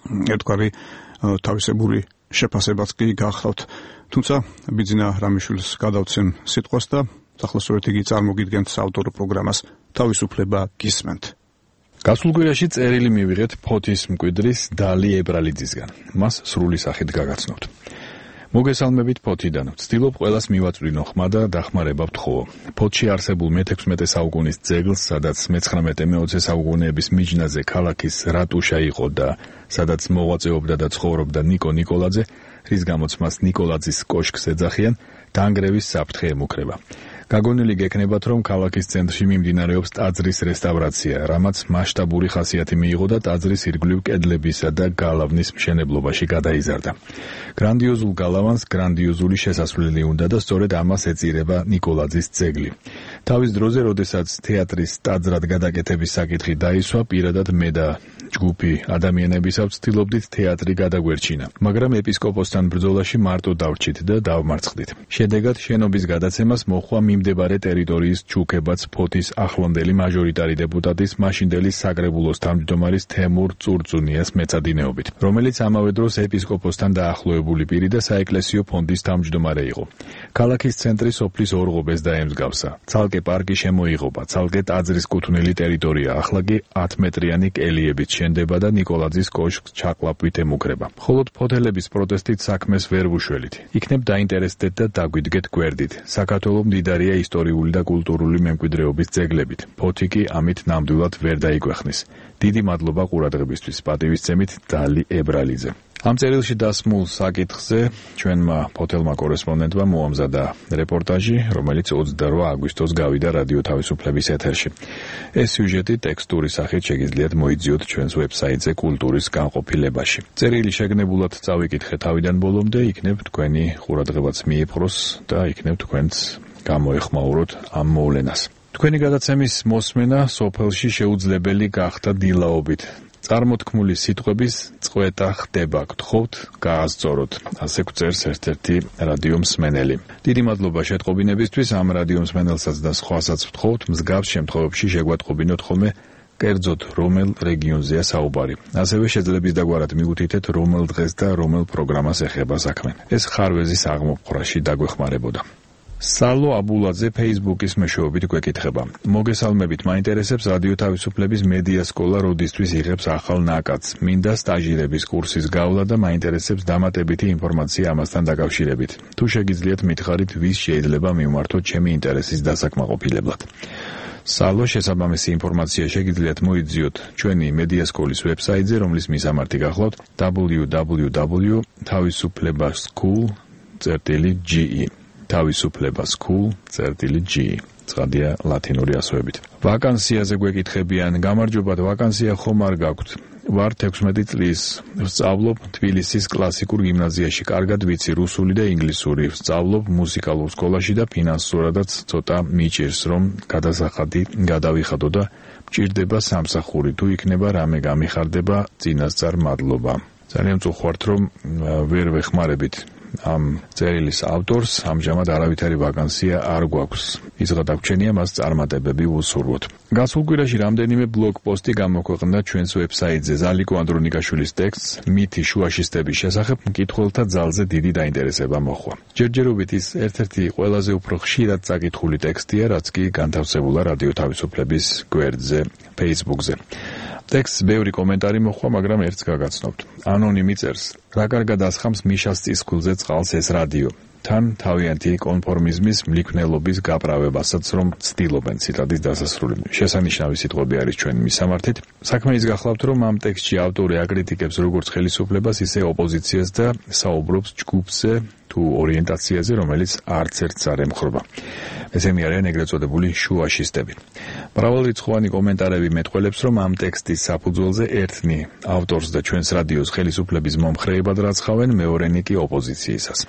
ერთგვარი თავისებური შეფასებაც კი გახლავთ. თუმცა ბიძინა რამიშვილს გადავცემ სიტყვას და ახლოსვეთ იგი წარმოგიდგენთ საავტორო პროგრამას თავისუფლება გისმენთ. გასულ კვირაში წერილი მივიღეთ ფოთის მკვიდრის დალი ებრალიძისგან. მას სრული სახით გაგაცნობთ. მოგესალმებით ფოთიდან. ვცდილობ ყველას მივაწვდინო ხმა და დახმარება ვთხოვო. ფოთში არსებულ მე-16 საუკუნის ძეგლს, სადაც მე-19-20 საუკუნეების მიჯნაზე ქალაქის რატუშა იყო და სადაც მოღვაწეობდა და ცხოვრობდა ნიკო ნიკოლაძე, რის გამოც მას ნიკოლაძის კოშკს ეძახიან, დაანგრევის საფრთხე ემუქრება. გაგონილი გექნებათ, რომ ქალაქის ცენტრში მიმდინარეობს ტაძრის რესტავრაცია, რამაც მასშტაბური ხასიათი მიიღო და ტაძრის ირგვლივ კედლებისა და გალავნის მშენებლობაში გადაიზარდა. გრანდიოზულ გალავანს გრანდიოზული შესასვლელი უნდა და სწორედ ამას ეწირება ნიკოლაძის ძეგლი. თავის დროზე, როდესაც თეატრის ტაძრად გადაკეთების საკითხი დაისვა, პირადად მე და ჯგუფი ადამიანებისა ვცდილობდით თეატრი გადაგვერჩინა, მაგრამ ეპისკოპოსთან ბრძოლაში მარტო დავრჩით და დავმარცხდით. შედეგად შენობის გადაცემას მოხვა მიმდებარე ტერიტორიის ჩუქებაც ფოთის ახლანდელი მაჟორიტარი დეპუტატის მაშინდელი საკრებულოს თავმჯდომარის თემურ წურწუნიას მეწადინეობით, რომელიც ამავე დროს ეპისკოპოსთან დაახლოებული პირი და საეკლესიო ფონდის თავმჯდომარე იყო. ქალაქის ცენტრი სოფლის ორღობეს დაემსგავსა. ცალკე პარკი შემოიღობა, ცალკე ტაძრის კუთვნილი ტერიტორია, ახლა კი 10 მეტრიანი კელიებით შენდება და ნიკოლაძის კოშკს ჩაკლაპვით ემუქრება. მხოლოდ ფოთელების პროტესტით საქმეს ვერ ვუშველით. იქნებ დაინტერესდეთ და დაგვიდგეთ გვერდით. საქართველოს მდიდარია ისტორიული და კულტურული მემკვიდრეობის ძეგლებით. ფოთი კი ამით ნამდვილად ვერ დაიგვეხნის. დიდი მადლობა ყურადღებისთვის. პატივისცემით დალი ებრალიძე. ამ წერილში დასმულ საკითხზე ჩვენმა ფოთელმა კორესპონდენტმა მოამზადა რეპორტაჟი, რომელიც 28 აგვისტოს გავიდა რადიო თავისუფლების ეთერში. ეს სიუჟეტი ტექსტური სახით შეგიძლიათ მოიძიოთ ჩვენს ვებსაიტზე კულტურის განყოფილებაში. წერილი შეგნებულად წავიკითხე თავიდან ბოლომდე, იქნებ თქვენი ყურადღებაც მიიპყროს და იქნებ თქვენც გამოეხმაუროთ ამ მოვლენას. თქვენი გადაცემის მოსმენა სოფელში შეუძლებელი გახდა დილაობით. წარმოთქმული სიტყვების წყვეტა ხდება, გთხოვთ გაასწოროთ, ასე გვწერს ერთ-ერთი რადიო მსმენელი. დიდი მადლობა შეტყობინებისთვის, ამ რადიო მსმენელსაც და სხვასაც ვთხოვთ, მსგავს შემთხვევებში შეგვატყობინოთ ხოლმე კერძოდ რომელ რეგიონზეა საუბარი. ასევე შეძლებს დაგვარად მიუთითეთ რომელ დღეს და რომელ პროგრამას ეხება საქმე. ეს ხარვეზის აღმოფხვრაში დაგვეხმარებოდა. სალო აბულაძე Facebook-ის მეშვეობით გვეკითხება. მოგესალმებით, მაინტერესებს რადიო თავისუფლების მედია სკოლა როდისთვის იღებს ახალ ნაკადს. მინდა სტაჟირების კურსის გავლა და მაინტერესებს დამატებითი ინფორმაცია ამასთან დაკავშირებით. თუ შეგიძლიათ მითხარით, ვის შეიძლება მივმართოთ ჩემი ინტერესის დასაკმაყოფილებლად. სალო, შესაბამისი ინფორმაცია შეგიძლიათ მოიძიოთ ჩვენი მედია სკოლის ვებსაიტზე, რომლის მისამართი გახლავთ www.tavisuflebaschool.ge tavisuflebaschool.ge ცხადია ლათინური ასოებით. ვაკანსიაზე გვეკითხებიან, გამარჯობათ, ვაკანსია ხომ არ გაქვთ? ვარ 16 წლის, ვსწავლობ თბილისის კლასიკურ გიმნაზიაში, კარგად ვიცი რუსული და ინგლისური, ვსწავლობ მუსიკალურ სკოლაში და ფინანსურადაც ცოტა მიჭირს, რომ გადასახადი გადავიხადო და მჭირდება სამსახური, თუ იქნება რამე გამიხარდება, წინასწარ მადლობა. ძალიან წუხوارთ, რომ ვერ ვეხმარებით ამ წერილის ავტორს, ამჟამად არავითარი ვაკანსია არ გვაქვს. ის გადაგჩენია მას წარმატებები ვუსურვოთ. გასულ კვირაში რამდენიმე ბლოგ პოსტი გამოქვეყნდა ჩვენს ვებსაიტზე. ზალიკო ანდრონიკაშვილის ტექსტს მითი შუაშისტების შესახებ მკითხველთა ძალზე დიდი დაინტერესება მოჰყვა. ჯერჯერობით ის ერთ-ერთი ყველაზე უფრო ხშირად წაკითხული ტექსტია, რაც კი განთავსებულა რადიო თავისუფლების გვერდზე Facebook-ზე. ტექსტს ბევრი კომენტარი მოჰყვა, მაგრამ ერთს გაგაცნობთ. ანონიმი წერს: რა კარგად ასხამს მიშას წისქვილზე წყალს ეს რადიო. თან თავიანთი კონფორმიზმის მლიქნელობის გაправებასაც რომ ცდილობენ. ციტატის დასასრული. შესანიშნავი სიტყვები არის ჩვენი მისამართით. საქმე ის გახლავთ, რომ ამ ტექსტში ავტორი აკრიტიკებს როგორც ხელისუფლებას, ისე ოპოზიციას და საუბრობს ჯგუფზე თუ ორიენტაციაზე, რომელიც არც ერთს არ ემხრობა. ესენი არიან ეგრეთ წოდებული შუაშისტები. მრავალრიცხოვანი კომენტარები მეტყველებს, რომ ამ ტექსტის საფუძველზე ერთნი ავტორს და ჩვენს რადიოს ხელისუფლების მომხრეებად რაცხავენ, მეორენი კი ოპოზიციისას.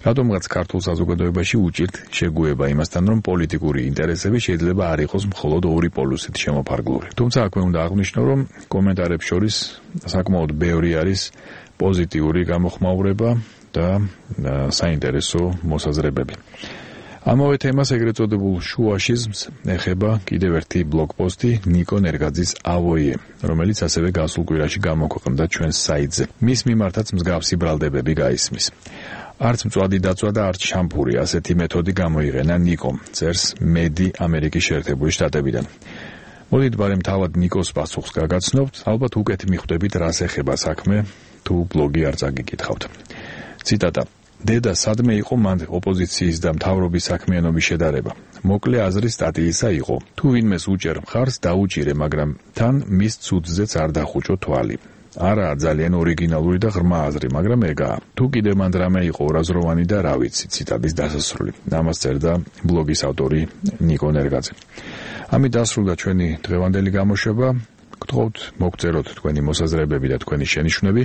რატომღაც ქართულ საზოგადოებაში უჭირთ შეგუება იმასთან, რომ პოლიტიკური ინტერესები შეიძლება არ იყოს მხოლოდ ორი პოლუსით შემოფარგლული. თუმცა აქვე უნდა აღვნიშნო, რომ კომენტარებს შორის საკმაოდ ბევრი არის პოზიტიური გამოხმაურება და საინტერესო მოსაზრებები. ამავე თემას ეგრეთ წოდებულ შუაშიზმს ეხება კიდევ ერთი ბლოგ პოსტი ნიკო ნერგაძის ავოიე, რომელიც ასევე გასულ კვირაში გამოქვეყნდა ჩვენს საიტზე. მის მიმართაც მსგავსი ბრალდებები გაისმის. არც მწვადი დაწვა და არც შამპური, ასეთი მეთოდი გამოიყენა ნიკომ, წერს მედი ამერიკის შეერთებული შტატებიდან. მოდით ბარემ თავად ნიკოს პასუხს გაგაცნობთ, ალბათ უკეთ მიხვდებით რას ეხება საქმე, თუ ბლოგი არ წაგიკითხავთ. ციტატა: დედა სადმე იყო მან ოპოზიციის და მთავრობის საქმიანობის შედარება. მოკლე აზრის სტატიისა იყო: თუ ვინმეს უჭერ მხარს, დაუჭირე, მაგრამ თან მის ცუდზეც არ დახუჭო თვალი. არა ძალიან ორიგინალური და ღრმა აზრი, მაგრამ ეგაა. თუ კიდევ მან რამე იყო ორაზროვანი და რა ვიცი, ციტატის დასასრული. ამას წერდა ბლოგის ავტორი ნიკო ნერგაძე. ამით დასრულდა ჩვენი დღევანდელი გამოშვება. გთხოვთ მოგწეროთ თქვენი მოსაზრებები და თქვენი შენიშვნები.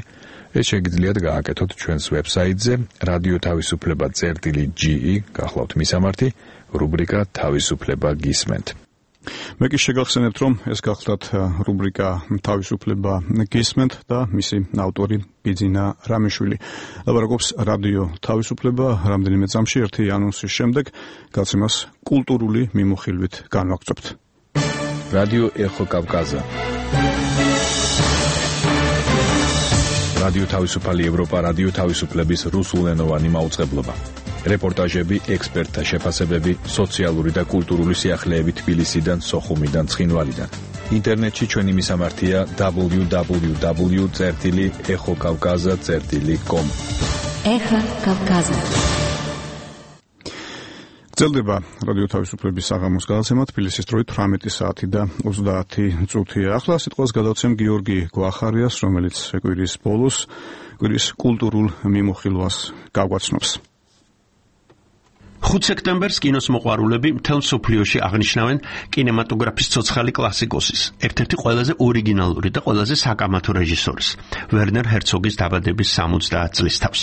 ეს შეგიძლიათ გააკეთოთ ჩვენს ვებსაიტზე radio.tavisufleba.ge, გახლავთ მისამართი, რუბრიკა თავისუფლება გისმენთ. მე კი შეგახსენებთ, რომ ეს გახლავთ რუბრიკა თავისუფლება გისმენთ და მისი ავტორი ბიძინა რამიშვილი. ლაპარაკობს რადიო თავისუფლება. რამდენიმე წამში ერთი ანონსის შემდეგ გაცემას კულტურული მიმოხილვით განვაგრძობთ. რადიო ეხო კავკაზა. რადიო თავისუფალი ევროპა, რადიო თავისუფლების რუსულენოვანი მაუწყებლობა. რეპორტაჟები, ექსპერტთა შეფასებები, სოციალური და კულტურული სიახლეები თბილისიდან, სოხუმიდან, ცხინვალიდან. ინტერნეტში ჩვენი მისამართია www.echokavkaza.com. Ეხა კავკაზა. გრძელდება რადიო თავისუფლების საღამოს გადაცემა თბილისის დროით 18 საათი და 30 წუთია. ახლა სიტყვას გადავცემ გიორგი გვახარიას, რომელიც კვირის ბოლოს კვირის კულტურულ მიმოხილვას გაგვაცნობს. 5 სექტემბერს კინოს მოყვარულები მთელ მსოფლიოში აღნიშნავენ კინემატოგრაფის ცოცხალი კლასიკოსის, ერთ-ერთი ყველაზე ორიგინალური და ყველაზე საკამათო რეჟისორის, ვერნერ ჰერცოგის დაბადების 70 წლის თავს.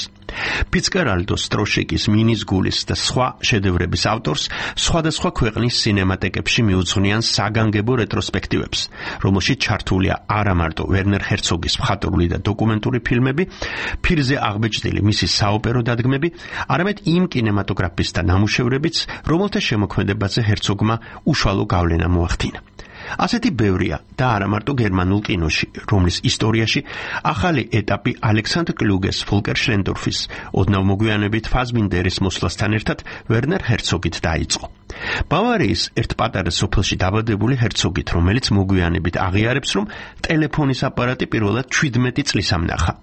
ფიცკერალდო, სტროშიკის, მინის გულის და სხვა შედევრების ავტორს სხვადასხვა ქვეყნის სინემატეკებში მიუძღვნიან საგანგებო რეტროსპექტივებს, რომელშიც ჩართულია არა მარტო ვერნერ ჰერცოგის მხატვრული და დოკუმენტური ფილმები, ფირზე აღბეჭდილი მისი საოპერო დადგმები, არამედ იმ კინემატოგრაფისტთა ნამუშევრებიც, რომელთა შემოქმედებაზე ჰერცოგმა უშუალო გავლენა მოახდინა. ასეთი ბევრია და არა მარტო გერმანულ კინოში, რომლის ისტორიაში ახალი ეტაპი ალექსანდრ კლუგეს, ფოლკერ შლენდორფის, ოდნავ მოგვიანებით ფაზბინდერის მოსვლასთან ერთად ვერნერ ჰერცოგით დაიწყო. ბავარიის ერთ პატარა სოფელში დაბადებული ჰერცოგით, რომელიც მოგვიანებით აღიარებს, რომ ტელეფონის აპარატი პირველად 17 წლის ამნახა,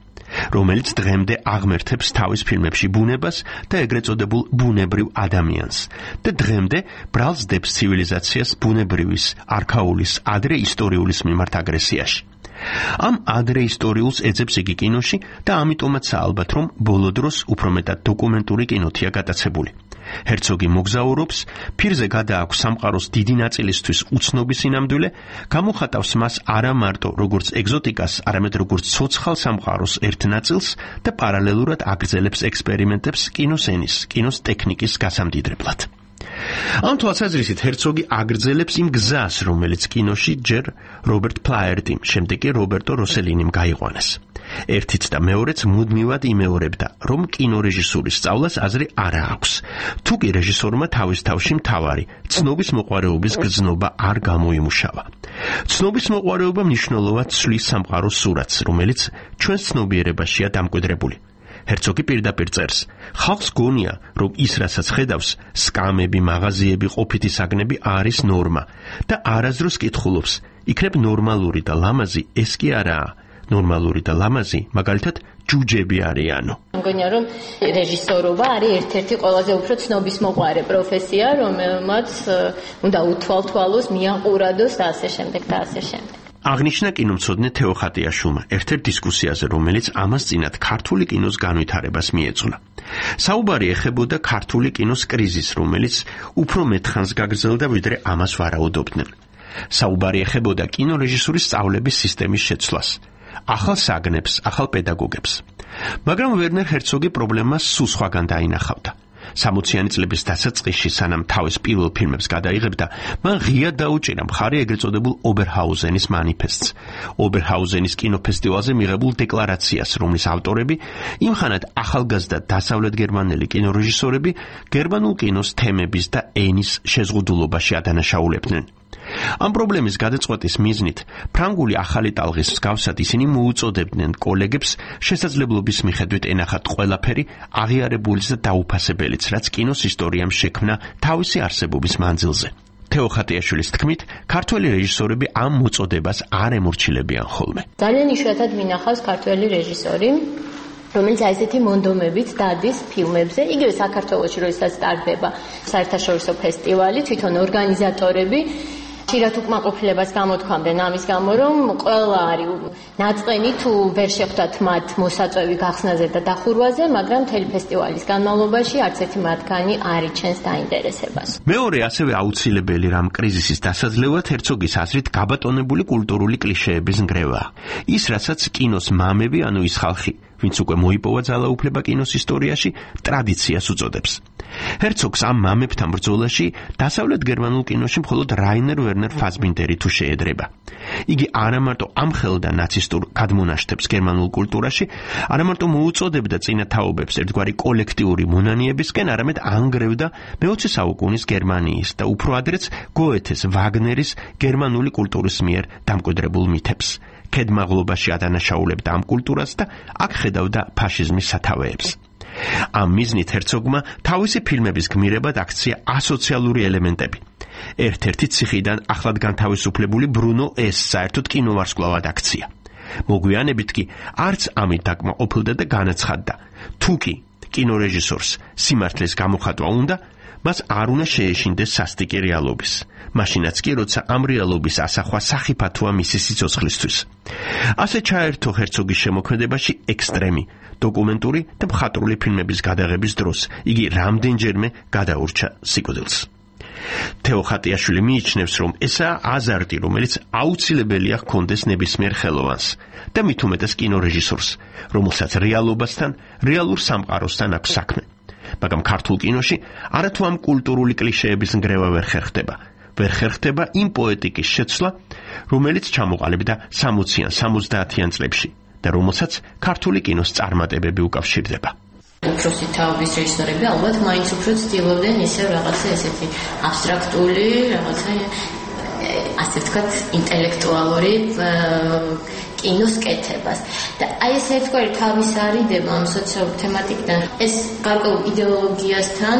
რომელიც დღემდე აღმერთებს თავის ფილმებში ბუნებას და ეგრეთ წოდებულ ბუნებრივ ადამიანს და დღემდე ბრალს დებს ცივილიზაციას ბუნებრივის, არქაულის, ადრე ისტორიულის მიმართ აგრესიაში. ამ ადრე ისტორიულს ეძებს იგი კინოში და ამიტომაცაა ალბათ, რომ ბოლო დროს უფრო მეტად დოკუმენტური კინოთია გატაცებული. ჰერცოგი მოგზაურობს, ფირზე გადააქვს სამყაროს დიდი ნაწილისთვის უცნობი სინამდვილე, გამოხატავს მას არა მარტო როგორც ეგზოტიკას, არამედ როგორც ცოცხალ სამყაროს ერთ ნაწილს და პარალელურად აგრძელებს ექსპერიმენტებს კინოს ენის, კინოს ტექნიკის გასამდიდრებლად. ამ თვალსაზრისით ჰერცოგი აგრძელებს იმ გზას, რომელიც კინოში ჯერ რობერტ პლაიერტიმ, შემდეგ კი რობერტო როსელინიმ გაიყვანეს. ერთიც და მეორეც მუდმივად იმეორებდა, რომ კინორეჟისურის სწავლას აზრი არ აქვს. თუ კი რეჟისორმა თავის თავში მთავარი ცნობის მოყვარეობის გრძნობა არ გამოიმუშავა. ცნობის მოყვარეობა მნიშვნელოვნად ცვლის სამყაროს სურათს, რომელიც ჩვენს ცნობიერებაშია დამკვიდრებული. ჰერცოგი პირდაპირ წერს, ხალხს გონია, რომ ის, რასაც ხედავს, სკამები, მაღაზიები, ყოფითი საგნები არის ნორმა და არასდროს კითხულობს, იქნებ ნორმალური და ლამაზი ეს კი არაა. ნორმალური და ლამაზი, მაგალითად, ჯუჯები არიანო. მგონია, რომ რეჟისორობა არის ერთ-ერთი ყველაზე უფრო ცნობისმოყვარე პროფესია, რომელმაც უნდა უთვალთვალოს, მიაყურადოს და ასე შემდეგ და ასე შემდეგ. აღნიშნა კინომცოდნე თეო ხატიაშვილმა ერთ-ერთ დისკუსიაზე, რომელიც ამას წინათ ქართული კინოს განვითარებას მიეძღვნა. საუბარი ეხებოდა ქართული კინოს კრიზისს, რომელიც უფრო მეტხანს გაგრძელდა, ვიდრე ამას ვარაუდობდნენ. საუბარი ეხებოდა კინორეჟისურის სწავლების სისტემის შეცვლას, ახალ საგნებს, ახალ პედაგოგებს. მაგრამ ვერნერ ჰერცოგი პრობლემას სულ სხვაგან დაინახავდა. 60-იანი წლების დასაწყისში, სანამ თავის პირველ ფილმებს გადაიღებდა, მან ღიად დაუჭირა მხარი ეგრეთ წოდებულ ობერჰაუზენის მანიფესტს, ობერჰაუზენის კინოფესტივალზე მიღებულ დეკლარაციას, რომლის ავტორები იმხანად ახალგაზრდა დასავლეთ გერმანელი კინორეჟისორები გერმანულ კინოს თემების და ენის შეზღუდულობაში ადანაშაულებდნენ. ამ პრობლემის გადაწყვეტის მიზნით ფრანგული ახალი ტალღის მსგავსად ისინი მოუწოდებდნენ კოლეგებს შესაძლებლობის მიხედვით ენახათ ყველაფერი აღიარებულის და დაუფასებელიც, რაც კინოს ისტორიამ შექმნა თავისი არსებობის მანძილზე. თეო ხატიაშვილის თქმით, ქართველი რეჟისორები ამ მოწოდებას არ ემორჩილებიან ხოლმე. ძალიან იშვიათად მინახავს ქართველი რეჟისორი, რომელიც ასეთი მონდომებით დადის ფილმებზე, იგივე საქართველოში როდესაც სტარტდება საერთაშორისო ფესტივალი, თვითონ ორგანიზატორები ხშირად უკმაყოფილებას გამოთქვამდნენ ამის გამო, რომ ყველა არის ნაწყენი თუ ვერ შეხვდათ მათ მოსაწვევი გახსნაზე და დახურვაზე, მაგრამ მთელი ფესტივალის განმავლობაში არც ერთი მათგანი არ იჩენს დაინტერესებას. მეორე ასევე აუცილებელი რამ კრიზისის დასაძლევად ჰერცოგის აზრით გაბატონებული კულტურული კლიშეების ნგრევაა. ის, რასაც კინოს მამები, ანუ ის ხალხი, ვინც უკვე მოიპოვა ძალაუფლება კინოს ისტორიაში, ტრადიციას უწოდებს. ჰერცოგს ამ მამებთან ბრძოლაში დასავლეთ გერმანულ კინოში მხოლოდ რაინერ ვერნერ ფაზბინდერი თუ შეედრება. იგი არა მარტო ამხელდა ნაცისტურ გადმონაშთებს გერმანულ კულტურაში, არა მარტო მოუწოდებდა წინათაობებს ერთგვარი კოლექტიური მონანიებისკენ, არამედ ანგრევდა მე-20 საუკუნის გერმანიის და უფრო ადრეც გოეთეს, ვაგნერის გერმანული კულტურის მიერ დამკვიდრებულ მითებს. ქედმაღლობაში ადანაშაულებდა ამ კულტურას და აქ ხედავდა ფაშიზმის სათავეებს. ამ მიზნით ჰერცოგმა თავისი ფილმების გმირებად აქცია ასოციალური ელემენტები. ერთ-ერთი ციხიდან ახლად განთავისუფლებული ბრუნო ეს საერთოდ კინოვარსკვლავად აქცია. მოგვიანებით კი არც ამით დაკმაყოფილდა და განაცხადდა, თუ კი კინორეჟისორს სიმართლის გამოხატვა უნდა, მას არ უნდა შეეშინდეს სასტიკი რეალობის. მაშინაც კი, როცა ამ რეალობის ასახვა სახიფათოა მისი სიცოცხლისთვის. ასე ჩაერთო ჰერცოგის შემოქმედებაში ექსტრემი, დოკუმენტური და მხატვრული ფილმების გადაღების დროს იგი რამდენჯერმე გადაურჩა სიკვდილს. თეო ხატიაშვილი მიიჩნევს, რომ ესაა აზარტი, რომელიც აუცილებელია ჰქონდეს ნებისმიერ ხელოვანს და მით უმეტეს კინორეჟისორს, რომელსაც რეალობასთან, რეალურ სამყაროსთან აქვს საქმე. მაგრამ ქართულ კინოში არათუ ამ კულტურული კლიშეების ნგრევა ვერ ხერხდება. ვერ ხერხდება იმ პოეტიკის შეცვლა, რომელიც ჩამოყალიბდა 60-იან, 70-იან წლებში და რომელსაც ქართული კინოს წარმატებები უკავშირდება. უფროსი თაობის რეჟისორები ალბათ მაინც უფრო ცდილობდნენ ისევ რაღაცა ესეთი აბსტრაქტული, რაღაცა ასე ვთქვათ, ინტელექტუალური კინოს კეთებას. და აი ეს ერთგვარი თავის არიდება ამ სოციალურ თემატიკიდან, ეს გარკვეულ იდეოლოგიასთან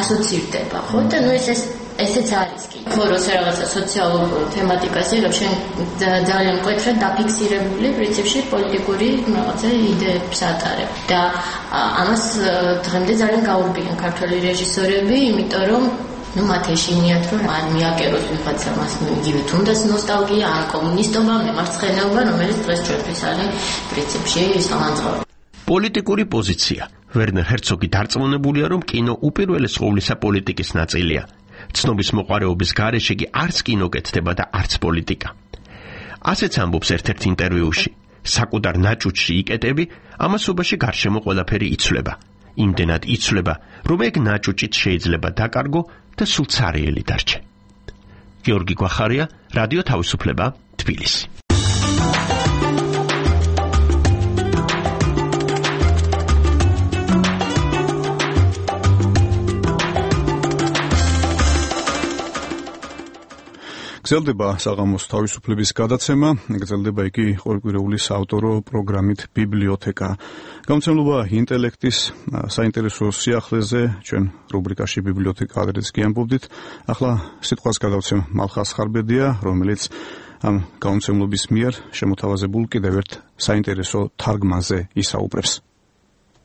ასოცირდება, ხო? და ნუ ესეც არის კი. ხო, როცა რაღაცა სოციალურ თემატიკას იღებ, შენ ძალიან მკვეთრად დაფიქსირებული პრინციპში პოლიტიკური რაღაცა იდეებს ატარებ. და ამას დღემდე ძალიან გაურბიან ქართველი რეჟისორები, იმიტომ რომ მათ ეშინიათ, რომ არ მიაკეროს ვიღაცა მას იგივე თუნდაც ნოსტალგია, ან კომუნისტობა, მემარცხენეობა, რომელიც დღეს ჩვენთვის არის პრინციპში სამანძღავი. პოლიტიკური პოზიცია. ვერნერ ჰერცოგი დარწმუნებულია, რომ კინო უპირველეს ყოვლისა პოლიტიკის ნაწილია. ცნობის მოყარეობის გარეშე კი არც კინო კეთდება და არც პოლიტიკა. ასეც ამბობს ერთ-ერთ ინტერვიუში. საკუთარ ნაჭუჭში იკეტები, ამასობაში გარშემო ყველაფერი იცვლება. იმდენად იცვლება, რომ ეგ ნაჭუჭით შეიძლება დაკარგო და სულ ცარიელი დარჩე. გიორგი გვახარია, რადიო თავისუფლება, თბილისი. გრძელდება საღამოს თავისუფლების გადაცემა, გრძელდება იგი ყოველკვირეული საავტორო პროგრამით ბიბლიოთეკა. გამოცემლობა ინტელექტის საინტერესო სიახლეზე ჩვენ რუბრიკაში ბიბლიოთეკა ადრეც გიამბობდით. ახლა სიტყვას გადავცემ მალხას ხარბედია, რომელიც ამ გამოცემლობის მიერ შემოთავაზებულ კიდევ ერთ საინტერესო თარგმანზე ისაუბრებს.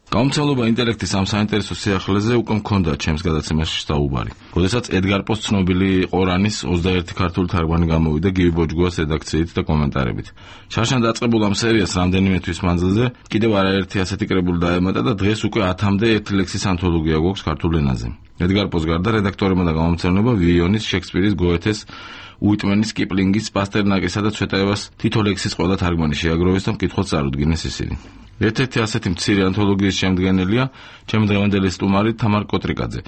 გამომცემლობა ინტელექტის ამ საინტერესო სიახლეზე უკვე მქონდა ჩემს გადაცემაში საუბარი. როდესაც ედგარ პოს ცნობილი ყორანის 21 ქართული თარგმანი გამოვიდა გივი ბოჯგუას რედაქციით და კომენტარებით. შარშან დაწყებულ ამ სერიას რამდენიმე თვის მანძილზე კიდევ არაერთი ასეთი კრებული დაემატა და დღეს უკვე 10-მდე ერთი ლექსის ანთოლოგია გვაქვს ქართულ ენაზე. ედგარ პოს გარდა რედაქტორებმა და გამომცემლობა ვიონის, შექსპირის, გოეთეს, უიტმენის, კიპლინგის, პასტერნაკისა და ცვეტაევას თითო ლექსის ყველა თარგმანი შეაგროვეს და მკითხველს წარუდგინეს ისინი. ერთ-ერთი ასეთი მცირე ანთოლოგიის შემდგენელია ჩემი დღევანდელი სტუმარი თამარ კოტრიკაძე.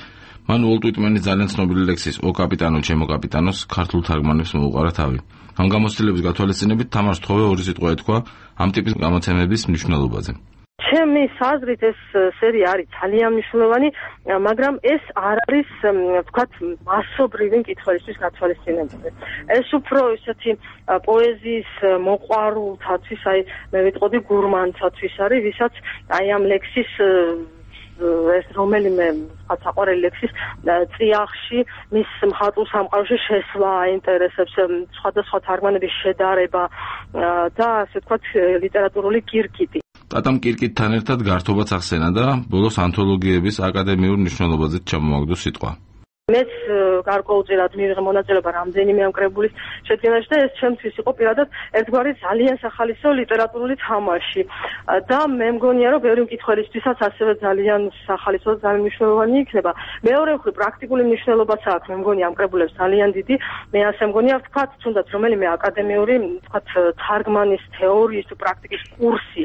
მან უოლტ უიტმენის ძალიან ცნობილი ლექსის „ო კაპიტანო, ჩემო კაპიტანოს“ ქართულ თარგმანებს მოუყარა თავი. ამ გამოცდილების გათვალისწინებით თამარს თხოვე ორი სიტყვა ეთქვა ამ ტიპის გამოცემების მნიშვნელობაზე. ჩემის აზრით ეს სერია არის ძალიან მნიშვნელოვანი, მაგრამ ეს არ არის, ვთქვათ, მასობრივი მკითხველისთვის გათვალისწინებული. ეს უფრო ისეთი პოეზიის მოყვარულთათვის, აი მე ვიტყოდი გურმანთათვის არის, ვისაც აი ამ ლექსის ეს რომელიმე საყვარელი ლექსის წიაღში მის მხატვრულ სამყაროში შესვლა აინტერესებს, სხვადასხვა თარგმანების შედარება და ასე ვთქვათ ლიტერატურული კირკიტი. ტატამ კირკიტთან ერთად გართობაც ახსენა და ბოლოს ანთოლოგიების აკადემიურ მნიშვნელობაზეც ჩამოაგდო სიტყვა. მეც გარკვეულწილად მივიღე მონაწილეობა რამდენიმე ამ კრებულის შედგენაში და ეს ჩემთვის იყო პირადად ერთგვარი ძალიან სახალისო ლიტერატურული თამაში. და მე მგონია, რომ ბევრი მკითხველისთვისაც ასევე ძალიან სახალისო და ძალიან მნიშვნელოვანი იქნება. მეორე მხრივ პრაქტიკული მნიშვნელობაც აქვს, მე მგონია ამ კრებულებს ძალიან დიდი. მე ასე მგონია, ვთქვათ, თუნდაც რომელიმე აკადემიური, ვთქვათ, თარგმანის თეორიის თუ პრაქტიკის კურსი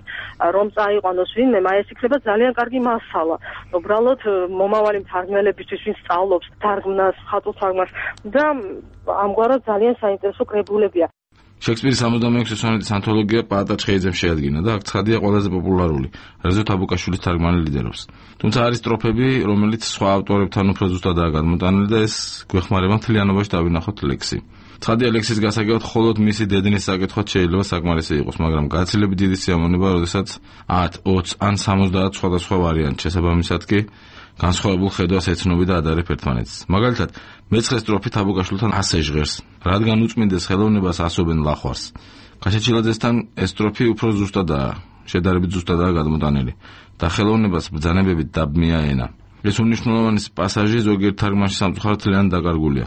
რომ წაიყვანოს ვინმე, ეს იქნება ძალიან კარგი მასალა. უბრალოდ მომავალი მთარგმნელებისთვის, ვინც სწავლობს თარგმნას, ხატულ თარგმანს და ამგვარად ძალიან საინტერესო კრებულებია. შექსპირის 66 სონეტის ანთოლოგია პაატა ჩხეიძემ შეადგინა და აქ ცხადია ყველაზე პოპულარული, რაზეც თაბუკაშვილის თარგმანი ლიდერობს. თუმცა არის სტროფები, რომელიც სხვა ავტორებთან უფრო ზუსტადაა გადმოტანილი და ეს გვეხმარება მთლიანობაში დავინახოთ ლექსი. ცხადია ლექსის გასაგებად მხოლოდ მისი დედნის საკითხვაც შეიძლება საკმარისი იყოს, მაგრამ გაცილებით დიდი სიამოვნება, როდესაც 10, 20 ან 70 სხვადასხვა ვარიანტ შესაბამისად კი განსხვავებულ ხედვას ეცნობი და ადარებ ერთმანეთს. მაგალითად, მეცხრე სტროფი თაბუკაშვილთან ასე ჟღერს, რადგან უწმინდეს ხელოვნებას ასობენ ლახვარს. კაშაჩილაძესთან ეს სტროფი უფრო ზუსტადაა, შედარებით ზუსტადაა გადმოტანილი და ხელოვნებას ბრძანებებით დაბმია ენა. ეს უნიშნულოვანი პასაჟი ზოგიერთ თარგმანში სამწუხაროდ ძალიან დაკარგულია.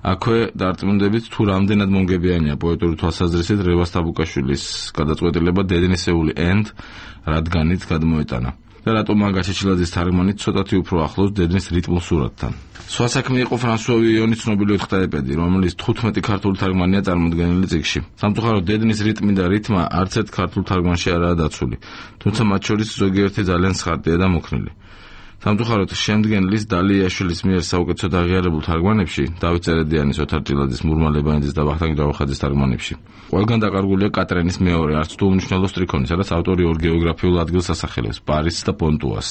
აქვე დარწმუნდებით თუ რამდენად მომგებიანია პოეტური თვალსაზრისით რევას თაბუკაშვილის გადაწყვეტილება დედნისეული end რადგანით გადმოეტანა. და რატომ მაგაჩეჩილაძის თარგმანი ცოტათი უფრო ახლოს დედნის რიტმულ სურათთან. სხვა საქმე იყო ფრანსუა ვიონის ცნობილი ოთხთაეპედი, რომელიც 15 ქართული თარგმანია წარმოდგენილი წიგნში. სამწუხაროდ დედნის რიტმი და რითმა არც ერთ ქართულ თარგმანში არაა დაცული, თუმცა მათ შორის ზოგიერთი ძალიან სხარტია და მოქნილი. სამწუხაროდ შემდგენლის დალიაშვილის მიერ საუკეთესოდ აღიარებულ თარგმანებში, დავით წერედიანის, ოთარ ჭილაძის, მურმა ლებანიძის და ვახტანგ ჯავახაძის თარგმანებში, ყველგან დაკარგულია კატრენის მეორე, არც თუ უმნიშვნელო სტრიქონი, სადაც ავტორი ორ გეოგრაფიულ ადგილს ასახელებს, პარიზს და პონტუას.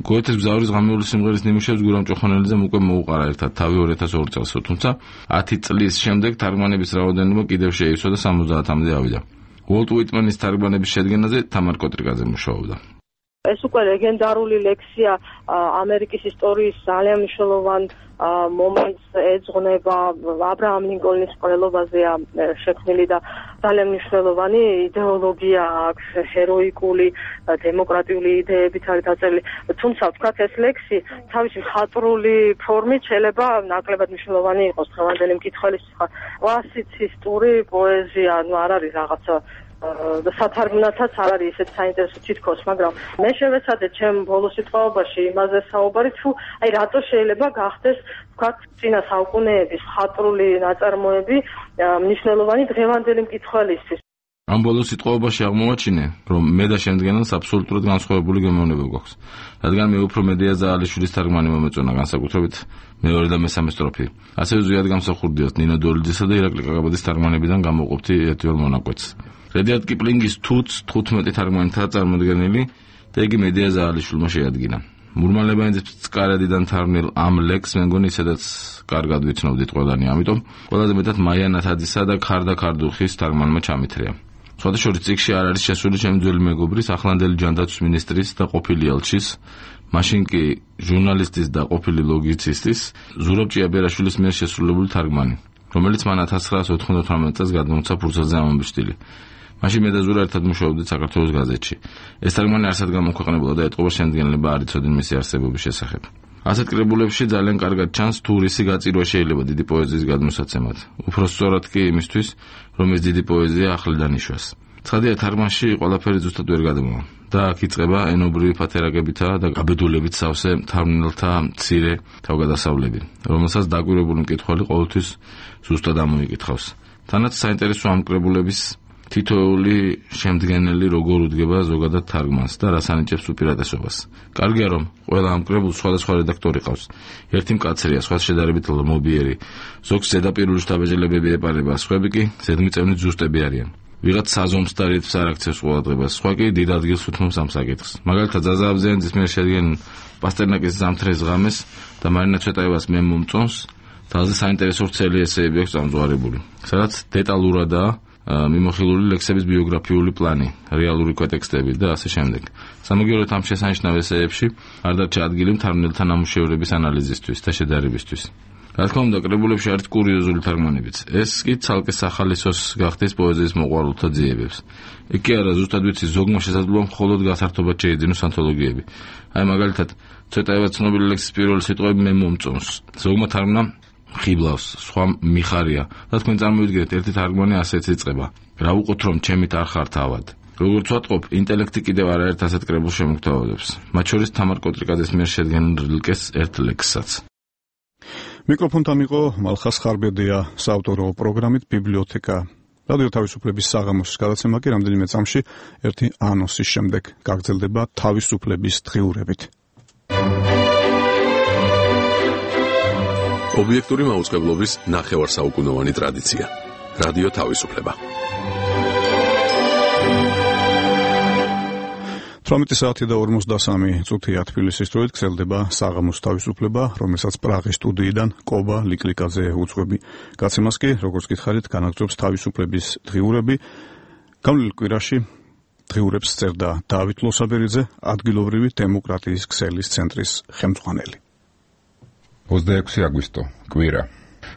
გოეთეს მგზავრის ღამეული სიმღერის ნიმუშებს გურამ ჭოხონელიძემ უკვე მოუყარა ერთად თავი 2002 წელს, თუმცა 10 წლის შემდეგ თარგმანების რაოდენობა კიდევ შეივსო და 70-მდე ავიდა. უოლტ უიტმანის თარგმანების შედგენაზე თამარ კოტრიკაძე მუშაობდა. ეს უკვე ლეგენდარული ლექსია ამერიკის ისტორიის ძალიან მნიშვნელოვან მომენტს ეძღვნება აბრაამ ლინკოლნის მკვლელობაზეა შექმნილი და ძალიან მნიშვნელოვანი იდეოლოგია აქვს, ჰეროიკული დემოკრატიული იდეებით არის დაწერილი. თუმცა ვთქვათ ეს ლექსი თავისი მხატვრული ფორმით შეიძლება ნაკლებად მნიშვნელოვანი იყოს დღევანდელი მკითხველის. კლასიცისტური პოეზია, არ არის რაღაცა სათარგმნათაც არ არის ისეთ საინტერესო თითქოს, მაგრამ მე შევეცადე ჩემ ბოლო სიტყვაობაში იმაზე საუბარი, თუ აი რატო შეიძლება გახდეს ვთქვათ წინა საუკუნეების მხატვრული ნაწარმოები მნიშვნელოვანი დღევანდელი მკითხველისთვის. ამ ბოლო სიტყვაობაში აღმოვაჩინე, რომ მე და შემდგენელს აბსოლუტურად განსხვავებული გემოვნება გვაქვს. რადგან მე უფრო მედია ზაალიშვილის თარგმანი მომეწონა, განსაკუთრებით მეორე და მესამე სტროფი. ასევე ზვიად გამსახურდიათ ნინო დოლიძისა და ირაკლი კაკაბაძის თარგმანებიდან გამოვყოფთი ერთიელ მონაკვეთს. რედიარდ კიპლინგის თუც 15 თარგმანითაა წარმოდგენილი და იგი მედია ზაალიშვილმა შეადგინა. მურმა ლებანიძის წკარედიდან თარგმნილ ამ ლექსს მე მგონი ისედაც კარგად ვიცნობდით ყველანი, ამიტომ ყველაზე მეტად მაია ნათაძისა და ქარდა ქარდუხის თარგმანმა ჩამithრია. სხვადასხვა წიგნში არ არის შესული ჩემი ძველი მეგობრის, ახლანდელი ჯანდაცვის მინისტრის და ყოფილი ელჩის, მაშინ კი ჟურნალისტის და ყოფილი ლოგიცისტის ზურაბ ჭიაბერაშვილის მიერ შესრულებული თარგმანი, რომელიც მან 1998 წელს გადმოუცა ფურცელზე ამბის სტილი. მაშინ მე და ზურა ერთად მუშაობდით საქართველოს გაზეთში. ეს თარგმანი არსად გამოქვეყნებოდა და ეტყობა შემდგენელება არ იცოდნენ მისი არსებობის შესახებ. ასეთ კრებულებში ძალიან კარგად ჩანს თუ რისი გაწირვა შეიძლება დიდი პოეზიის გადმოსაცემად. უფრო სწორად კი იმისთვის, რომ ეს დიდი პოეზია ახლიდან იშვას. ცხადია თარგმანში ყველაფერი ზუსტად ვერ გადმოვა და აქ იწყება ენობრივი ფათერაკებითა და გაბედულებით სავსე თარგმნელთა მცირე თავგადასავლები, რომელსაც დაკვირვებული მკითხველი ყოველთვის ზუსტად ამოიკითხავს. თანაც საინტერესო ამ კრებულების თითოეული შემდგენელი როგორ უდგება ზოგადად თარგმანს და რას ანიჭებს უპირატესობას. კარგია რომ ყველა ამ კრებულს სხვადასხვა რედაქტორი ყავს. ერთი მკაცრია, სხვა შედარებით ლომობიერი, ზოგს ზედაპირული შთაბეჭდილებები ეპარება, სხვები კი ზედმიწევნით ზუსტები არიან. ვიღაც საზომს და რითმს არ აქცევს ყურადღებას, სხვა კი დიდ ადგილს უთმობს ამ საკითხს. მაგალითად ზაზა აბზიანიძის მიერ შედგენილ პასტერნაკის ზამთრის ღამეს და მარინა ცვეტაევას მე მომწონს თავზე საინტერესო ვრცელი ესეები აქვს წამწვარებული, სადაც დეტალურადაა მიმოხილული ლექსების ბიოგრაფიული პლანი, რეალური კვეტექსტები და ასე შემდეგ. სამაგიეროდ ამ შესანიშნავ ესეებში არ დარჩა ადგილი მთარგმნელთა ნამუშევრების ანალიზისთვის და შედარებისთვის. რა თქმა უნდა, კრებულებში არის კურიოზული თარგმანებიც. ეს კი ცალკე სახალისოს გახდეს პოეზიის მოყვარულთა ძიებებს. იქ კი არა ზუსტად ვიცი, ზოგმა შესაძლოა მხოლოდ გასართობად შეიძინოს ანთოლოგიები. აი მაგალითად, ცოტაევა ცნობილი ლექსის პირველი სიტყვები მე მომწონს. ზოგმა თარგმნა ხიბლავს, სხვა მიხარია. და თქვენ წარმოვიდგინეთ, ერთი თარგმანი ასეც იწყება. რა უყოთ რომ ჩემით არ ხარ თავად. როგორც ვატყობ, ინტელექტი კიდევ არაერთ ასეთ კრებულს შემოგთავაზებს. მათ შორის თამარ კოტრიკაძის მიერ შედგენილ რილკეს ერთ ლექსსაც. მიკროფონთან იყო მალხას ხარბედია საავტორო პროგრამით ბიბლიოთეკა. რადიო თავისუფლების საღამოს გადაცემა კი რამდენიმე წამში ერთი ანონსის შემდეგ გაგრძელდება თავისუფლების დღიურებით. ობიექტური მაუწყებლობის ნახევარსაუკუნოვანი ტრადიცია. რადიო თავისუფლება. 18 საათი და 53 წუთია თბილისის დროით გრძელდება საღამოს თავისუფლება, რომელსაც პრაღის სტუდიიდან კობა ლიკლიკაძე უძღვები. გაცემას კი, როგორც გითხარით, განაგრძობს თავისუფლების დღიურები. გამოვლენილ კვირაში დღიურებს წერდა დავით ლოსაბერიძე, ადგილობრივი დემოკრატიის ქსელის ცენტრის ხელმძღვანელი. 26 აგვისტო, კვირა.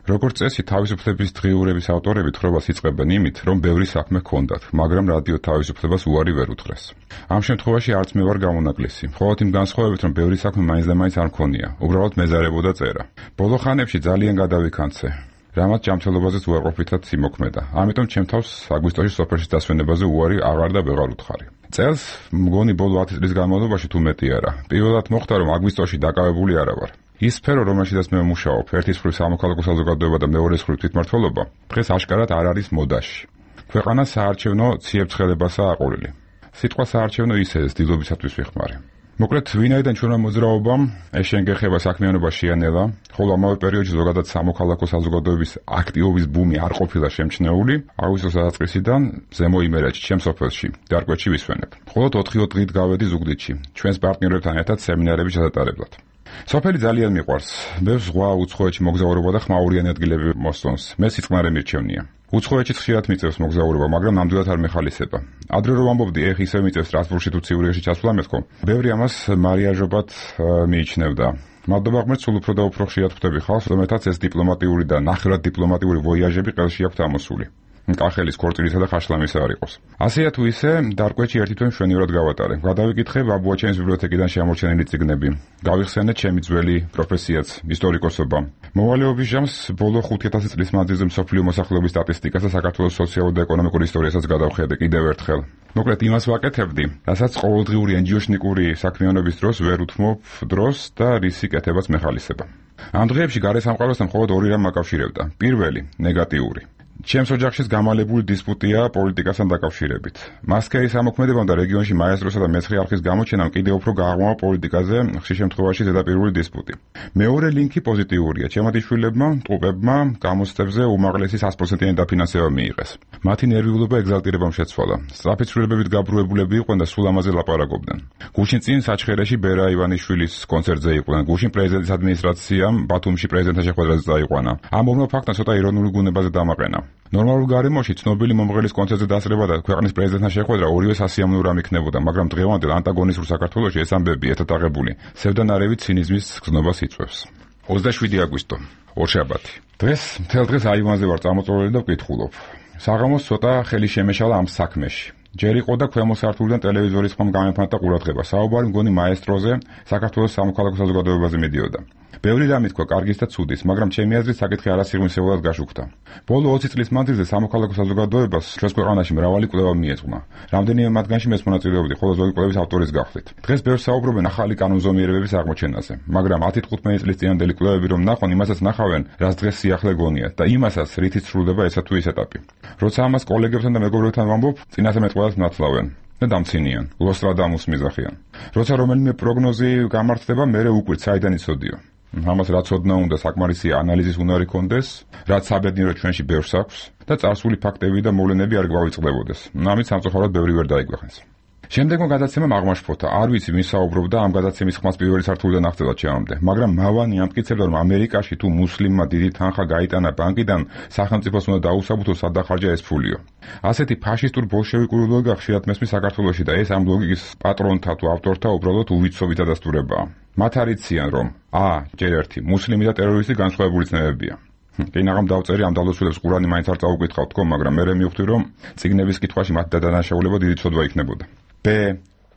როგორც წესი, თავისუფლების დღიურების ავტორები თხრობას იწყებენ იმით, რომ ბევრი საქმე ჰქონდათ, მაგრამ რადიო თავისუფლებას უარი ვერ უთხრეს. ამ შემთხვევაში არც მე ვარ გამონაკლისი, მხოლოდ იმ განსხვავებით, რომ ბევრი საქმე მაინც და მაინც არ მქონია, უბრალოდ მეზარებოდა წერა. ბოლო ხანებში ძალიან გადავიქანცე. რამაც ჯანმრთელობაზეც უარყოფითად იმოქმედა. ამიტომ ჩემ თავს აგვისტოში სოფელში დასვენებაზე უარი აღარ და ვეღარ უთხარი. წელს მგონი ბოლო 10 წლის განმავლობაში თუ მეტი არა. პირველად მოხდა, რომ აგვისტოში დაკავებული არა ვარ. ის სფერო, რომელშიც მე ვმუშაობ, ერთის მხრივ სამოქალაქო საზოგადოება და მეორეს მხრივ თვითმმართველობა, დღეს აშკარად არ არის მოდაში. ქვეყანა საარჩევნო ციებ-ცხელებასაა აყოლილი. სიტყვა საარჩევნო ისე ძილობისათვის ვიხმარე. მოკლედ, ვინაიდან ჩვენმა მოძრაობამ ეშენგეხება საქმიანობა შეანელა, ხოლო ამავე პერიოდში ზოგადად სამოქალაქო საზოგადოების აქტივობის ბუმი არ ყოფილა შემჩნეული, აგვისტოს დასაწყისიდან ზემო იმერეთში, ჩემ სოფელში, დარკვეთში ვისვენებ. მხოლოდ 4 დღით გავედი ზუგდიდში, ჩვენს პარტნიორებთან ერთად სემინარების ჩატარებლად. სოფელი ძალიან მიყვარს. მე ზღვა უცხოეთში მოგზაურობა და ხმაურიანი ადგილები მოსწონს. მე სიწყნარე მირჩევნია. უცხოეთშიც ხშირად მიწევს მოგზაურობა, მაგრამ ნამდვილად არ მეხალისება. ადრე რომ ამბობდი, ეხ ისევ მიწევს სტრასბურგში თუ ციურიხში ჩასვლა მეთქო. ბევრი ამას მარიაჟობად მიიჩნევდა. მადლობა ღმერთს, სულ უფრო და უფრო ხშირად ხვდები ხალხს, რომელთაც ეს დიპლომატიური და ნახევრად დიპლომატიური ვოიაჟები ყელში აქვთ ამოსული. კახელის ქორწილისა და ხაშლამისა არ იყოს. ასეა თუ ისე, დარკვეთში ერთი თვე მშვენივრად გავატარე. გადავიკითხე ბაბუაჩენის ბიბლიოთეკიდან შემორჩენილი წიგნები. გავიხსენე ჩემი ძველი პროფესიაც, ისტორიკოსობა. მოვალეობის ჟამს ბოლო 5000 წლის მანძილზე მსოფლიო მოსახლეობის სტატისტიკას და საქართველოს სოციალურ და ეკონომიკურ ისტორიასაც გადავხედე კიდევ ერთხელ. მოკლედ იმას ვაკეთებდი, რასაც ყოველდღიური ენჯიოშნიკური საქმიანობის დროს ვერ უთმობ დროს და რისი კეთებაც მეხალისება. ამ დღეებში გარე სამყაროსთან მხოლოდ ორი რამ მაკავშირებდა. პირველი, ნეგატიური. ჩემს ოჯახშიც გამალებული დისპუტია პოლიტიკასთან დაკავშირებით. მასკერის ამოქმედებამ და რეგიონში მაესტროსა და მეცხრე არხის გამოჩენამ კიდევ უფრო გააღრმავა პოლიტიკაზე, ხშირ შემთხვევაში ზედაპირული დისპუტი. მეორე ლინკი პოზიტიურია. ჩემად იშვილებმა, ტყუპებმა გამოცდებზე უმაღლესი 100%-იანი დაფინანსება მიიღეს. მათი ნერვიულობა ეგზალტირებამ შეცვალა. სწრაფი ცვლილებებით გაბრუებულები იყვნენ და სულ ამაზე ლაპარაკობდნენ. გუშინ წინ საჩხერეში ბერა ივანიშვილის კონცერტზე იყვნენ. გუშინ პრეზიდენტის ადმინისტრაციამ ბათუმში პრეზიდენტთან შეხვედრაზე წაიყვანა. ამ ორმა ფაქტმა ცოტა ირონული გუნებაზე დამაყენა. ნორმალურ გარემოში ცნობილი მომღერლის კონცერტზე დასწრება და ქვეყნის პრეზიდენტთან შეხვედრა ორივე სასიამოვნო რამ იქნებოდა, მაგრამ დღევანდელ ანტაგონისტურ საქართველოში ეს ამბები ერთად აღებული სევდანარევი ცინიზმის გზნობას იწვევს. 27 აგვისტო, ორშაბათი. დღეს მთელ დღეს აივანზე ვარ წამოწოლილი და ვკითხულობ. საღამოს ცოტა ხელი შემეშალა ამ საქმეში. ჯერ იყო და ქვემო სართულიდან ტელევიზორის ხომ გამეფანტა ყურადღება. საუბარი მგონი მაესტროზე, საქართველოს სამოქალაქო საზოგადოებაზე მიდიოდა. ბევრი რამ ითქვა კარგის და ცუდის, მაგრამ ჩემი აზრით საკითხი არასიღრმისეულად გაშუქდა. ბოლო 20 წლის მანძილზე სამოქალაქო საზოგადოებას ჩვენს ქვეყანაში მრავალი კვლევა მიეძღვნა. რამდენიმე მათგანში მეც მონაწილეობდი, ხოლო ზოგი კვლევის ავტორის გახლით. დღეს ბევრს საუბრობენ ახალი კანონზომიერებების აღმოჩენაზე, მაგრამ 10-15 წლის წინანდელი კვლევები რომ ნახონ, იმასაც ნახავენ, რაც დღეს სიახლე გონიათ და იმასაც, რითიც სრულდება ესა თუ ის ეტაპი. როცა ამას კოლეგებთან და მეგობრებთან ვამბობ, წინასწარ მეტყველებს მნათლავენ და დამცინიან, ლოსტრადამუს მიზახიან. როცა რომელიმე პროგნოზი გამართდება, მერე უკვირთ საიდან იცოდიო. ამას რაც ოდნა უნდა საკმარისი ანალიზის უნარი კონდეს, რაც საბედნიერო ჩვენში ბევრს აქვს და წარსული ფაქტები და მოვლენები არ გვავიწყდებოდეს. ამით სამწუხაროდ ბევრი ვერ დაიგვეხეს. შემდეგმა გადაცემამ აღმაშფოთა. არ ვიცი ვინ საუბრობდა ამ გადაცემის ხმას პირველი სართულიდან აღწევად ჩემამდე, მაგრამ მავანი ამტკიცებდა, რომ ამერიკაში თუ მუსლიმმა დიდი თანხა გაიტანა ბანკიდან, სახელმწიფოს უნდა დაუსაბუთოს სადახარჯა ეს ფულიო. ასეთი ფაშისტურ ბოლშევიკური ლოგიკა ხშირად მესმის საქართველოში და ეს ამ ლოგიკის პატრონთა თუ ავტორთა უბრალოდ უვიცობი დადასტურებაა. მათ არიციან, რომ ჯერ ერთი მუსლიმი და ტერორისტი განსხვავებული ცნებებია. კი ნაღამ დავწერი ამ დალოცულებს ყურანი მაინც არ წაუკვითხავ თქო, მაგრამ მე მივხვდი, რომ წიგნების კითხვაში მათ დანაშაულება დიდი ცოდვა იქნებოდა.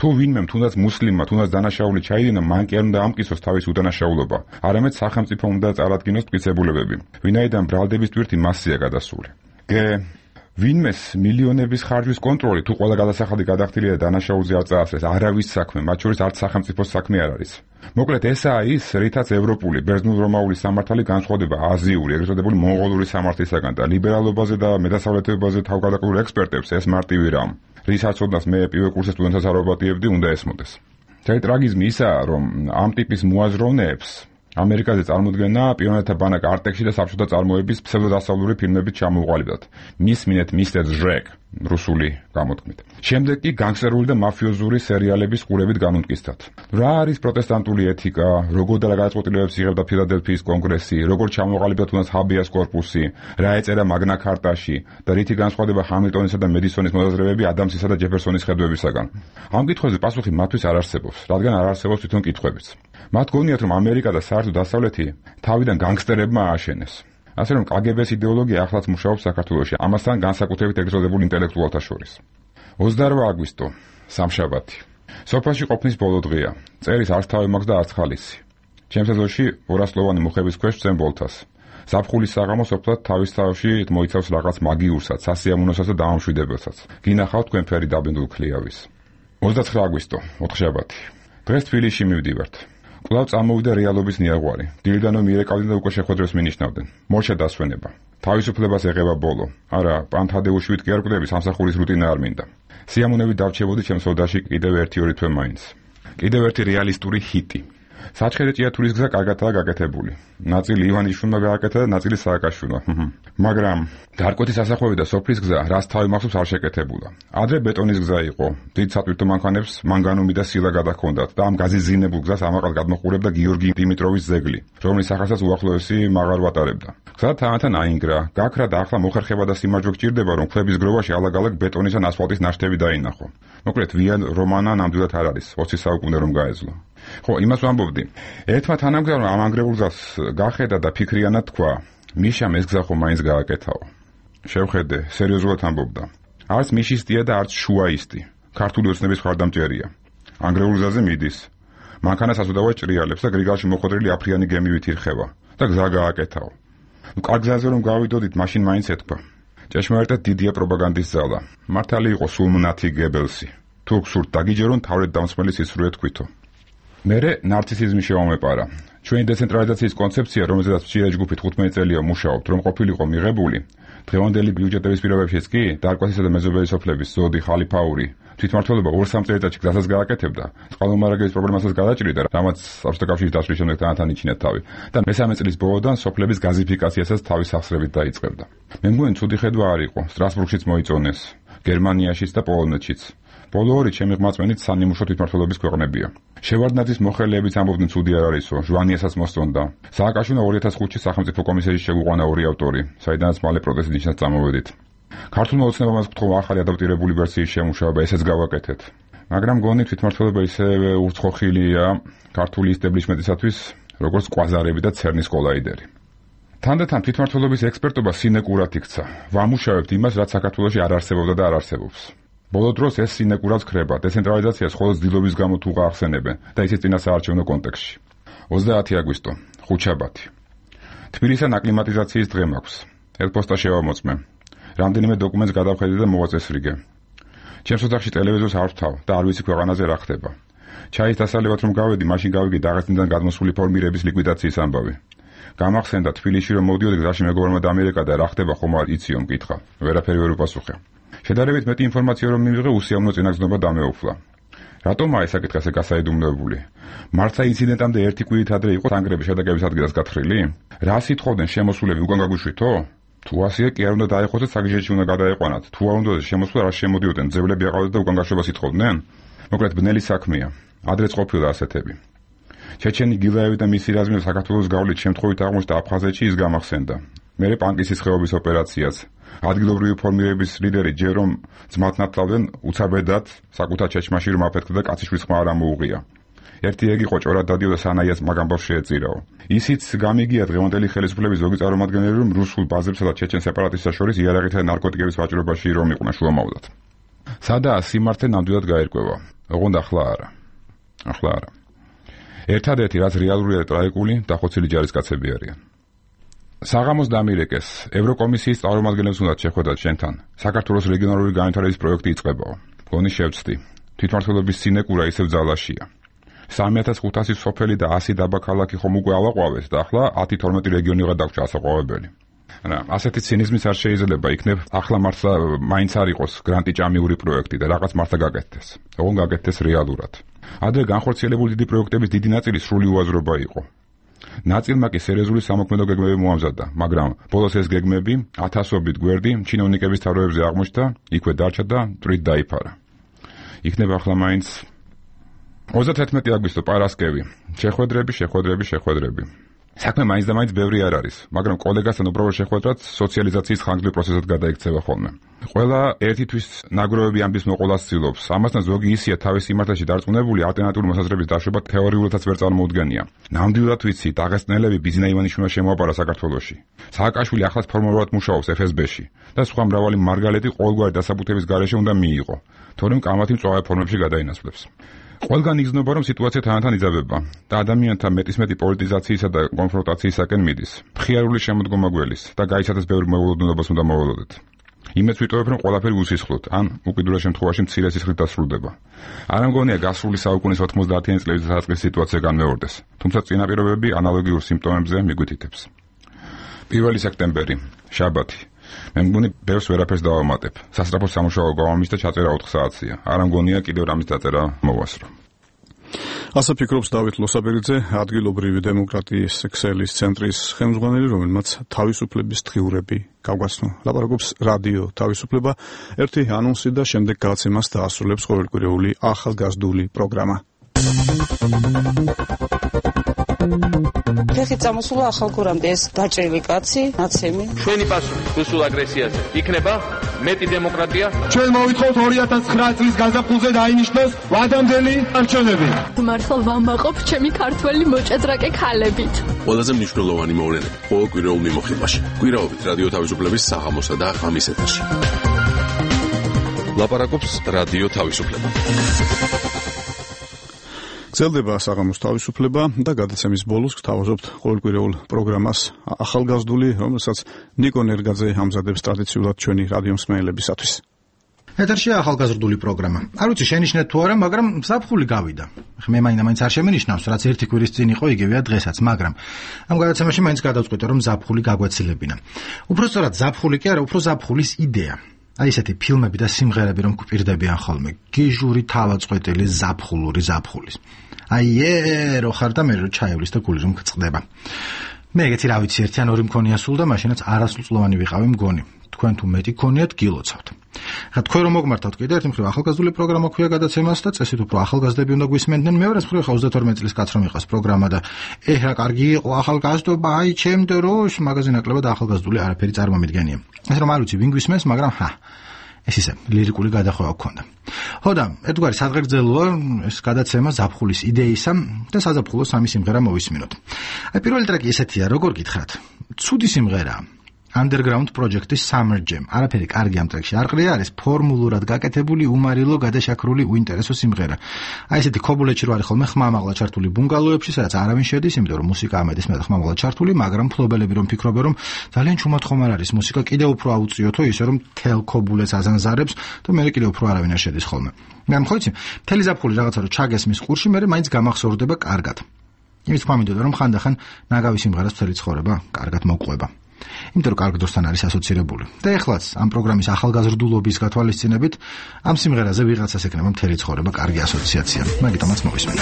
თუ ვინმემ თუნდაც მუსლიმმა, თუნდაც დანაშაული ჩაიდინა, მან კი არ უნდა ამკისოს თავის უდანაშაულობა, არამედ სახელმწიფო უნდა წარადგინოს მტკიცებულებები, ვინაიდან ბრალდების ტვირთი მასზეა გადასული. ვინმეს მილიონების ხარჯვის კონტროლი თუ ყველა გადასახადი გადახდილია და დანაშაულზე არ წაასწრეს, არავის საქმე, მათ შორის არც სახელმწიფოს საქმე არ არის. მოკლედ ესაა ის, რითაც ევროპული, ბერძნულ-რომაული სამართალი განსხვავდება აზიური, ეგრეთ წოდებული მონღოლური სამართლისაგან და ლიბერალობაზე და მეტასავლეთობაზე თავგადაკრულ ექსპერტებს ეს მარტივი რამ. რისაც ოდნავ მე პირველ კურსის სტუდენტებს არ ვაპატიებდი, უნდა ესმოდეს. ტრაგიზმი ისაა, რომ ამ ტიპის მოაზროვნეებს ამერიკაზე წარმოდგენა პიონერთა ბანაკ არტექში და საბჭოთა წარმოების ფსევდოდასავლური ფილმებით ჩამოუყალიბდათ. მისმინეთ მისტერ ჟრეკ რუსული გამოთქმით. შემდეგ კი განგსტერული და მაფიოზური სერიალების ყურებით განუტკისდათ. რა არის პროტესტანტული ეთიკა, როგორ და რა გადაწყვეტილებებს იღებდა ფილადელფიის კონგრესი, როგორ ჩამოყალიბდა თუნდაც ჰაბიას კორპუსი, რა ეწერა მაგნა ქარტაში და რითი განსხვავდება ჰამილტონისა და მედისონის მოსაზრებები ადამსისა და ჯეფერსონის ხედვებისაგან. ამ კითხვებზე პასუხი მათთვის არ არსებობს, რადგან არ არსებობს თვითონ კითხვებიც. მათ გონიათ, რომ ამერიკა და საერთოდ დასავლეთი თავიდან განგსტერებმა ააშენეს. ასე რომ კგბ-ს იდეოლოგია ახლაც მუშაობს საქართველოში, ამასთან განსაკუთრებით ეგრეთ ინტელექტუალთა შორის. 28 აგვისტო, სამშაბათი. სოფელში ყოფნის ბოლო დღეა. წერის არც თავი მაქვს და არც ხალისი. ჩემს ეზოში 200-ლოვანი მუხების ქვეშ წემ ბოლთას. ზაფხულის საღამო სოფლად თავის თავში მოიცავს რაღაც მაგიურსაც, სასიამოვნოსაც და დამამშვიდებელსაც. გინახავთ თქვენ ფერი დაბინდულ ქლიავის. 29 აგვისტო, ოთხშაბათი. დღეს თბილისში მივდივართ. კვლავ წამოვიდა რეალობის ნიაღვარი. დილიდან რომ მიერეკავდნენ და უკვე შეხვედრებს მინიშნავდნენ. მორჩა დასვენება. თავისუფლებას ეღება ბოლო. არა, პანთადეუშვით კი არ კვდები, სამსახურის რუტინა არ მინდა. სიამოვნებით დავჩებოდი ჩემს ოდაში კიდევ 1-2 თვე მაინც. კიდევ ერთი რეალისტური ჰიტი. საჩხერე ჭიათურის გზა კარგადაა გაკეთებული. ნაწილი ივანიშვილმა გააკეთა და ნაწილი სააკაშვილმა. მაგრამ დარკვეთის სასახლეები და სოფლის გზა, რაც თავი მახსოვს, არ შეკეთებულა. ადრე ბეტონის გზა იყო. დიდ სატვირთო მანქანებს მანგანუმი და სილა გადაჰქონდათ და ამ გაზიზინებულ გზას ამაყად გადმოყურებდა გიორგი დიმიტროვის ძეგლი, რომლის სახელსაც უახლოესი მაღარ ვატარებდა. გზა თანათან აინგრა, გაქრა და ახლა მოხერხება და სიმარჯვე გჭირდება, რომ ქვების გროვაში ალაგ-ალაგ ბეტონის ან ასფალტის ნაშთები დაინახო. მოკლედ, ვიან რომანა ნამდვილად არ არის, 20 საუკუნე რომ გაეძლო. ხო, იმას ვამბობდი. ერთმა თანამგზავრმა ამ ანგრეულ გზას გახედა და ფიქრიანად თქვა: მიშამ ეს გზა ხომ მაინც გააკეთაო. შევხედე, სერიოზულად ამბობდა. არც მიშისტია და არც შუაისტი. ქართული ოცნების მხარდამჭერია. ანგრეულ გზაზე მიდის. მანქანას აზუდავად ჭრიალებს და გრიგალში მოხვედრილი აფრიანი გემივით ირხევა და გზა გააკეთაო. კარგ გზაზე რომ გავიდოდით, მაშინ მაინც ეთქვა. ჭეშმარიტად დიდია პროპაგანდის ძალა. მართალი იყო სულმნათი გებელსი. თუ გსურთ დაგიჯერონ, თავრეთ დამსმელი სისრუე თქვითო. მერე ნარცისიზმი შევამეპარა. ჩვენი დეცენტრალიზაციის კონცეფცია, რომელზედაც მცირე ჯგუფი 15 წელია მუშაობთ, რომ ყოფილიყო მიღებული, დღევანდელი ბიუჯეტების პირობებშიც კი დარკვეთისა და მეზობელი სოფლების ზოდი ხალიფაური თვითმმართველობა 2-3 წელიწადში გზასაც გააკეთებდა, წყალმომარაგების პრობლემასაც გადაჭრიდა, რამაც საბჭოთა კავშირის დაშლის შემდეგ თანათან იჩინეთ თავი და მესამე წლის ბოლოდან სოფლების გაზიფიკაციასაც თავის სახსრებით დაიწყებდა. მე მგონი ცუდი ხედვა არ იყო, სტრასბურგშიც მოიწონეს, გერმანიაშიც და პოლონეთშიც. ბოლო ორი ჩემი ღმაწვენით სანიმუშო თვითმმართველობის ქვეყნებია. შევარდნაძის მოხელეებიც ამბობდნენ ცუდი არ არისო, ჟვანიასაც მოსწონდა. სააკაშვილმა 2005 წლის სახელმწიფო კომისიაში შეგვიყვანა 2 ავტორი, საიდანაც მალე პროტესტის ნიშნად წამოვედით. ქართულმა ოცნებამაც გთხოვა ახალი ადაპტირებული ვერსიის შემუშავება, ესეც გავაკეთეთ. მაგრამ გონი თვითმმართველობა ისევე უცხოხილია ქართული ისტებლიშმენტისათვის, როგორც კვაზარები და ცერნის კოლაიდერი. თანდათან თვითმმართველობის ექსპერტობა სინეკურად იქცა. ვამუშავებთ იმას, რაც საქართველოში არ არსებობდა და არ არსებობს. ბოლო დროს ეს სინეკურად ქრება, დეცენტრალიზაციას მხოლოდ ძილობის გამო თუ გაახსენებენ და ისიც წინასაარჩევნო კონტექსტში. 30 აგვისტო, ხუთშაბათი. თბილისთან აკლიმატიზაციის დღე მაქვს. ელპოსტა შევამოწმე. რამდენიმე დოკუმენტს გადავხედე და მოვაწესრიგე. ჩემს ოთახში ტელევიზორს არ ვთავ და არ ვიცი ქვეყანაზე რა ხდება. ჩაის დასალევად რომ გავედი, მაშინ გავიგე დაღესტნიდან გადმოსული ფორმირების ლიკვიდაციის ამბავი. გამახსენდა თბილისში რომ მოდიოდი გზაში მეგობრებმა დამიერეკა და რა ხდება ხომ არ იციო მკითხა. ვერაფერი ვერ უპასუხე. შედარებით მეტი ინფორმაცია რომ მივიღე, უსიამოვნო წინაგზნობა დამეუფლა. რატომაა ეს საკითხი ასე გასაიდუმლოებული? მართლა ინციდენტამდე ერთი კვირით ადრე იყო თანგრების შეტაკების ადგილას გათხრილი? რა სიტყვობდნენ შემოსულები უკან გაგუშვითო? თუ ასეა კი არ უნდა დაეხოცეთ, საგიჟეთში უნდა გადაეყვანათ. თუ არ უნდა შემოსულა, რა შემოდიოდნენ, ძებლები აყავდათ და უკან გაშვებას ითხოვდნენ? მოკლედ ბნელი საქმეა. ადრეც ყოფილა ასეთები. ჩეჩენი გილაევი და მისი რაზმი საქართველოს გავლით შემთხვევით აღმოჩნდა აფხაზეთში, ის გამახსენდა. მერე პანკისის ხეობის ოპერაციაც. ადგილობრივი ფორმირების ლიდერი ჯერომ ძმათნათლავდნენ უცაბედად საკუთარ ჩეჩმაში რომ აფეთქდა და კაციშვილის ხმა არ ამოუღია. ერთი ეგ იყო ჭორად დადიოდა სანაიას მაგ ამბავს შეეწირაო. ისიც გამიგია დღევანდელი ხელისუფლების ზოგი წარმომადგენელი რომ რუსულ ბაზებსა და ჩეჩენ სეპარატისტთა შორის იარაღითა და ნარკოტიკების ვაჭრობაში რომ იყვნენ შუამავლად. სადაა სიმართლე ნამდვილად გაერკვევა. ოღონდ ახლა არა. ახლა არა. ერთადერთი რაც რეალურია და ტრაგიკული დახოცილი ჯარისკაცები არიან. საღამოს დამირეკეს, ევროკომისიის წარმომადგენლებს უნდა შეხვედრათ შენთან. საქართველოს რეგიონალური განვითარების პროექტი იწყებაო. გონი შევწდი. თვითმმართველობის სინეკურა ისევ ძალაშია. 3500 სოფელი და 100 დაბა ქალაქი ხომ უკვე ავაყვავეს და ახლა 10-12 რეგიონი გადაგჭა ასაყვავებელი. რა, ასეთი ცინიზმიც არ შეიძლება იქნებ, ახლა მართლა მაინც არ იყოს გრანტი ჭამიური პროექტი და რაღაც მართლა გაკეთდეს. ოღონდ გაკეთდეს რეალურად. ადრე განხორციელებული დიდი პროექტების დიდი ნაწილი სრული უაზრობა იყო. ნაწილმა კი სერიოზული სამოქმედო გეგმები მოამზადა, მაგრამ ბოლოს ეს გეგმები ათასობით გვერდი ჩინოვნიკების თავროებზე აღმოჩნდა, იქვე დარჩა და მტრით დაიფარა. იქნება ახლა მაინც 31 აგვისტო პარასკევი. შეხვედრები. საქმე მაინც და მაინც ბევრი არ არის, მაგრამ კოლეგასთან უბრალოდ შეხვედრაც სოციალიზაციის ხანგრძლივ პროცესად გადაიქცევა ხოლმე. ყველა ერთისთვის ნაგროვები ამბის მოყოლას ცდილობს. ამასთან ზოგი ისია თავის სიმართლეში დარწმუნებული ალტერნატიული მოსაზრების დაშვება თეორიულადაც ვერ წარმოუდგენია. ნამდვილად ვიცი, დაღესტნელები ბიზნა ივანიშვილმა შემოაბარა საქართველოში. სააკაშვილი ახლაც ფორმალურად მუშაობს FSB-ში და სხვა მრავალი მარგალეტი ყოველგვარი დასაბუთების გარეშე უნდა მიიღო, თორემ კამათი მწვავე ფორმებში გადაინაცვლებს. ყველგან იგრძნობა, რომ სიტუაცია თანდათან იძაბება და ადამიანთა მეტისმეტი პოლიტიზაციისა და კონფრონტაციისაკენ მიდის. მხიარული შემოდგომა გველის და გაიცადოს ბევრი მოულოდნელობას უნდა მოველოდეთ. იმეც ვიტოვებ, რომ ყველაფერი უსისხლოდ, ან უკიდურეს შემთხვევაში მცირე სისხლით დასრულდება. არ ამგონია გასრული საუკუნის 90-იანი წლების დასაწყისის სიტუაცია განმეორდეს, თუმცა წინაპირობები ანალოგიურ სიმპტომებზე მიგვითითებს. 1 სექტემბერი, შაბათი. მე მგონი ბევრს ვერაფერს დავამატებ. სასწრაფო სამუშაო გავამის და ჩაწერა 4 საათია. არ ამგონია კიდევ რამის დაწერა მოვასრო. ასე ფიქრობს დავით ლოსაბერიძე, ადგილობრივი დემოკრატიის ქსელის ცენტრის ხელმძღვანელი, რომელმაც თავისუფლების დღიურები გავგაცნო. ლაპარაკობს რადიო თავისუფლება, ერთი ანონსი და შემდეგ გადაცემას დაასრულებს ყოველკვირეული ახალგაზრდული პროგრამა. ხეხი წამოსულა ახალგურამდე ეს დაჭრილი კაცი, ნაცემი. ჩვენი პასუხი რუსულ აგრესიაზე იქნება მეტი დემოკრატია. ჩვენ მოვითხოვთ 2009 წლის გაზაფხულზე დაინიშნოს ვადამდელი არჩევნები. მართლა ვამაყობ ჩემი ქართველი მოჭადრაკე ქალებით. ყველაზე მნიშვნელოვანი მოვლენები ყოველკვირეულ მიმოხილვაში. კვირაობით რადიო თავისუფლების საღამოსა და ღამის ეთერში. ლაპარაკობს რადიო თავისუფლება. გრძელდება საღამოს თავისუფლება და გადაცემის ბოლოს გთავაზობთ ყოველკვირეულ პროგრამას ახალგაზრდული, რომელსაც ნიკო ნერგაძე ამზადებს ტრადიციულად ჩვენი რადიო მსმენელებისათვის. ეთერშია ახალგაზრდული პროგრამა. არ ვიცი შენიშნეთ თუ არა, მაგრამ ზაფხული გავიდა. მე მაინც არ შემენიშნავს, რაც ერთი კვირის წინ იყო, იგივეა დღესაც, მაგრამ ამ გადაცემაში მაინც გადავწყვიტე, რომ ზაფხული გაგვეცილებინა. უბრალოდ ზაფხული კი არა, უფრო ზაფხულის იდეა. აი ესეთი ფილმები და სიმღერები რომ გვპირდებიან ხოლმე. გიჟური თავაწყვეტილი ზაფხულური ზაფხულის. აი რო ხარ და მე რო ჩაევლის და გული რომ გწყდება. მე ეგეთი რა ვიცი, ერთი ან ორი მქონია სულ და მაშინაც არასრულწლოვანი ვიყავი მგონი. თქვენ თუ მეტი გქონიათ გილოცავთ. ხა თქვენ რომ მოგმართავთ კიდე ერთი მხრივ ახალგაზრდული პროგრამა ქვია გადაცემას და წესით უფრო ახალგაზრდები უნდა გვისმენდნენ. მეორე მხრივ ხა 32 წლის კაც რომ იყავს პროგრამა და რა კარგი იყო ახალგაზრდობა, აი ჩემ დროშ მაგაზინ აკლებად ახალგაზრდული არაფერი წარმომიდგენია. ეს რომ არ ვიცი ვინ გვისმენს, მაგრამ ეს ისე ლირიკული გადახვევა გქონდა. ხო და ერთგვარი სადღეგრძელოა ეს გადაცემა ზაფხულის იდეისა და საზაფხულო სამი სიმღერა მოვისმინოთ. აი პირველი ტრეკი ესეთია, როგორ გითხრათ? ცუდი სიმღერაა. Underground Project-ის Summer Jam. არაფერი კარგი ამ ტრეკში არ ყრია, არის ფორმულურად გაკეთებული, უმარილო, გადაშაქრული, უინტერესო სიმღერა. აი ესეთი ქობულეთში რო არის ხოლმე ხმამაღლა ჩართული ბუნგალოებში, სადაც არავინ შედის, იმიტომ რომ მუსიკა ამედის მე ხმამაღლა ჩართული, მაგრამ ფლობელები რომ ფიქრობენ, რომ ძალიან ჩუმად ხომ არ არის მუსიკა, კიდევ უფრო აუწიოთო ისე რომ თელ ქობულეთს აზანზარებს და მე კიდევ უფრო არავინ არ შედის ხოლმე. მაგრამ ხო იცი, მთელი ზაფხული რაღაცა რო ჩაგესმის ყურში, მე მაინც გამახსოვრდება კარგად. იმის თქვა მინდოდა რომ ხანდახან ნაგავი სიმღერას მთელი ცხოვრება კარგად მოყვება. იმიტომ რომ კარგ დროსთან არის ასოცირებული. და ეხლაც ამ პროგრამის ახალგაზრდულობის გათვალისწინებით ამ სიმღერაზე ვიღაცას ეკნება მთელი ცხოვრება კარგი ასოციაცია. მაგიტომაც მოვისმენთ.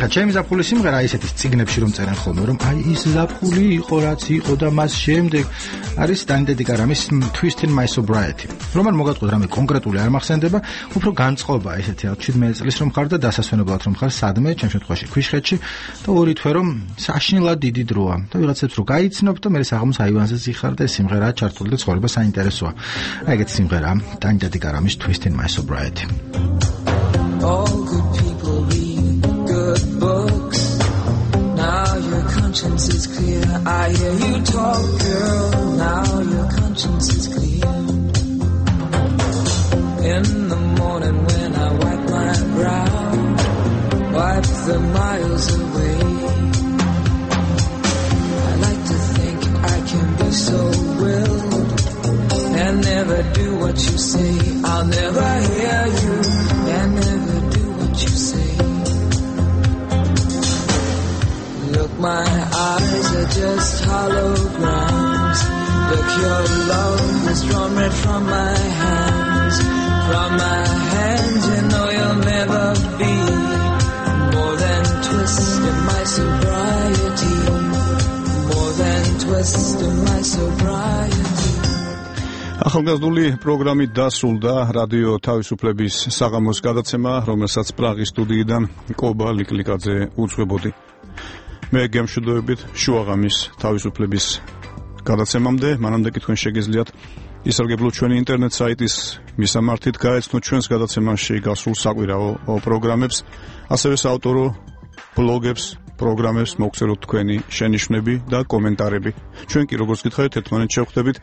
ეხლა ჩემი ზაფხულის სიმღერა ისეთი წიგნებში რომ წერენ ხოლმე რომ აი ის ზაფხული იყო რაც იყო და მას შემდეგ არის სტანდარტი კარამის Twist in My Sobriety. რომ არ მოგატყუთ რამე კონკრეტული არ მახსენდება, უფრო განწყობა ესეთი 17 წლის რომ ხარ და დასასვენებლად რომ ხარ სადმე, ჩემ შემთხვევაში ქვიშხეთში და ორი თვე რომ საშინლად დიდი დროა და ვიღაცებს რო გაიცნობ და მე საღამოს აივანზე ზიხარ და ეს სიმღერაა ჩართული და ცხოვრება საინტერესოა. აი ეგეთი სიმღერაა სტანდარტი კარამის Twist in My Sobriety. All good people read good books. Now your conscience is clear. I hear you talk, girl. Now your conscience is clear. In the morning when I wipe my brow, wipe the miles away. I like to think I can be eyes are just holograms. Look, your love has drawn red from my hands. From my hands, you know you'll never be more than twist in my sobriety. More than twist in my sobriety. ახალგაზრდული პროგრამით დასრულდა რადიო თავისუფლების საღამოს გადაცემა, რომელსაც პრაღის სტუდიიდან კობა ლიკლიკაძე უძღვებოდი. მე გემშვიდობებით შუაღამის თავისუფლების გადაცემამდე, მანამდე კი თქვენ შეგიძლიათ ისარგებლოთ ჩვენი ინტერნეტ საიტის მისამართით, გაეცნოთ ჩვენს გადაცემაში გასულ საკვირაო პროგრამებს, ასევე საავტორო ბლოგებს, პროგრამებს, მოგწეროთ თქვენი შენიშვნები და კომენტარები. ჩვენ კი როგორც გითხარით, ერთმანეთს შევხვდებით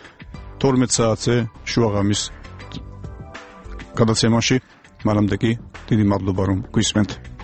12 საათზე შუაღამის გადაცემაში. მანამდე კი დიდი მადლობა რომ გვისმენთ.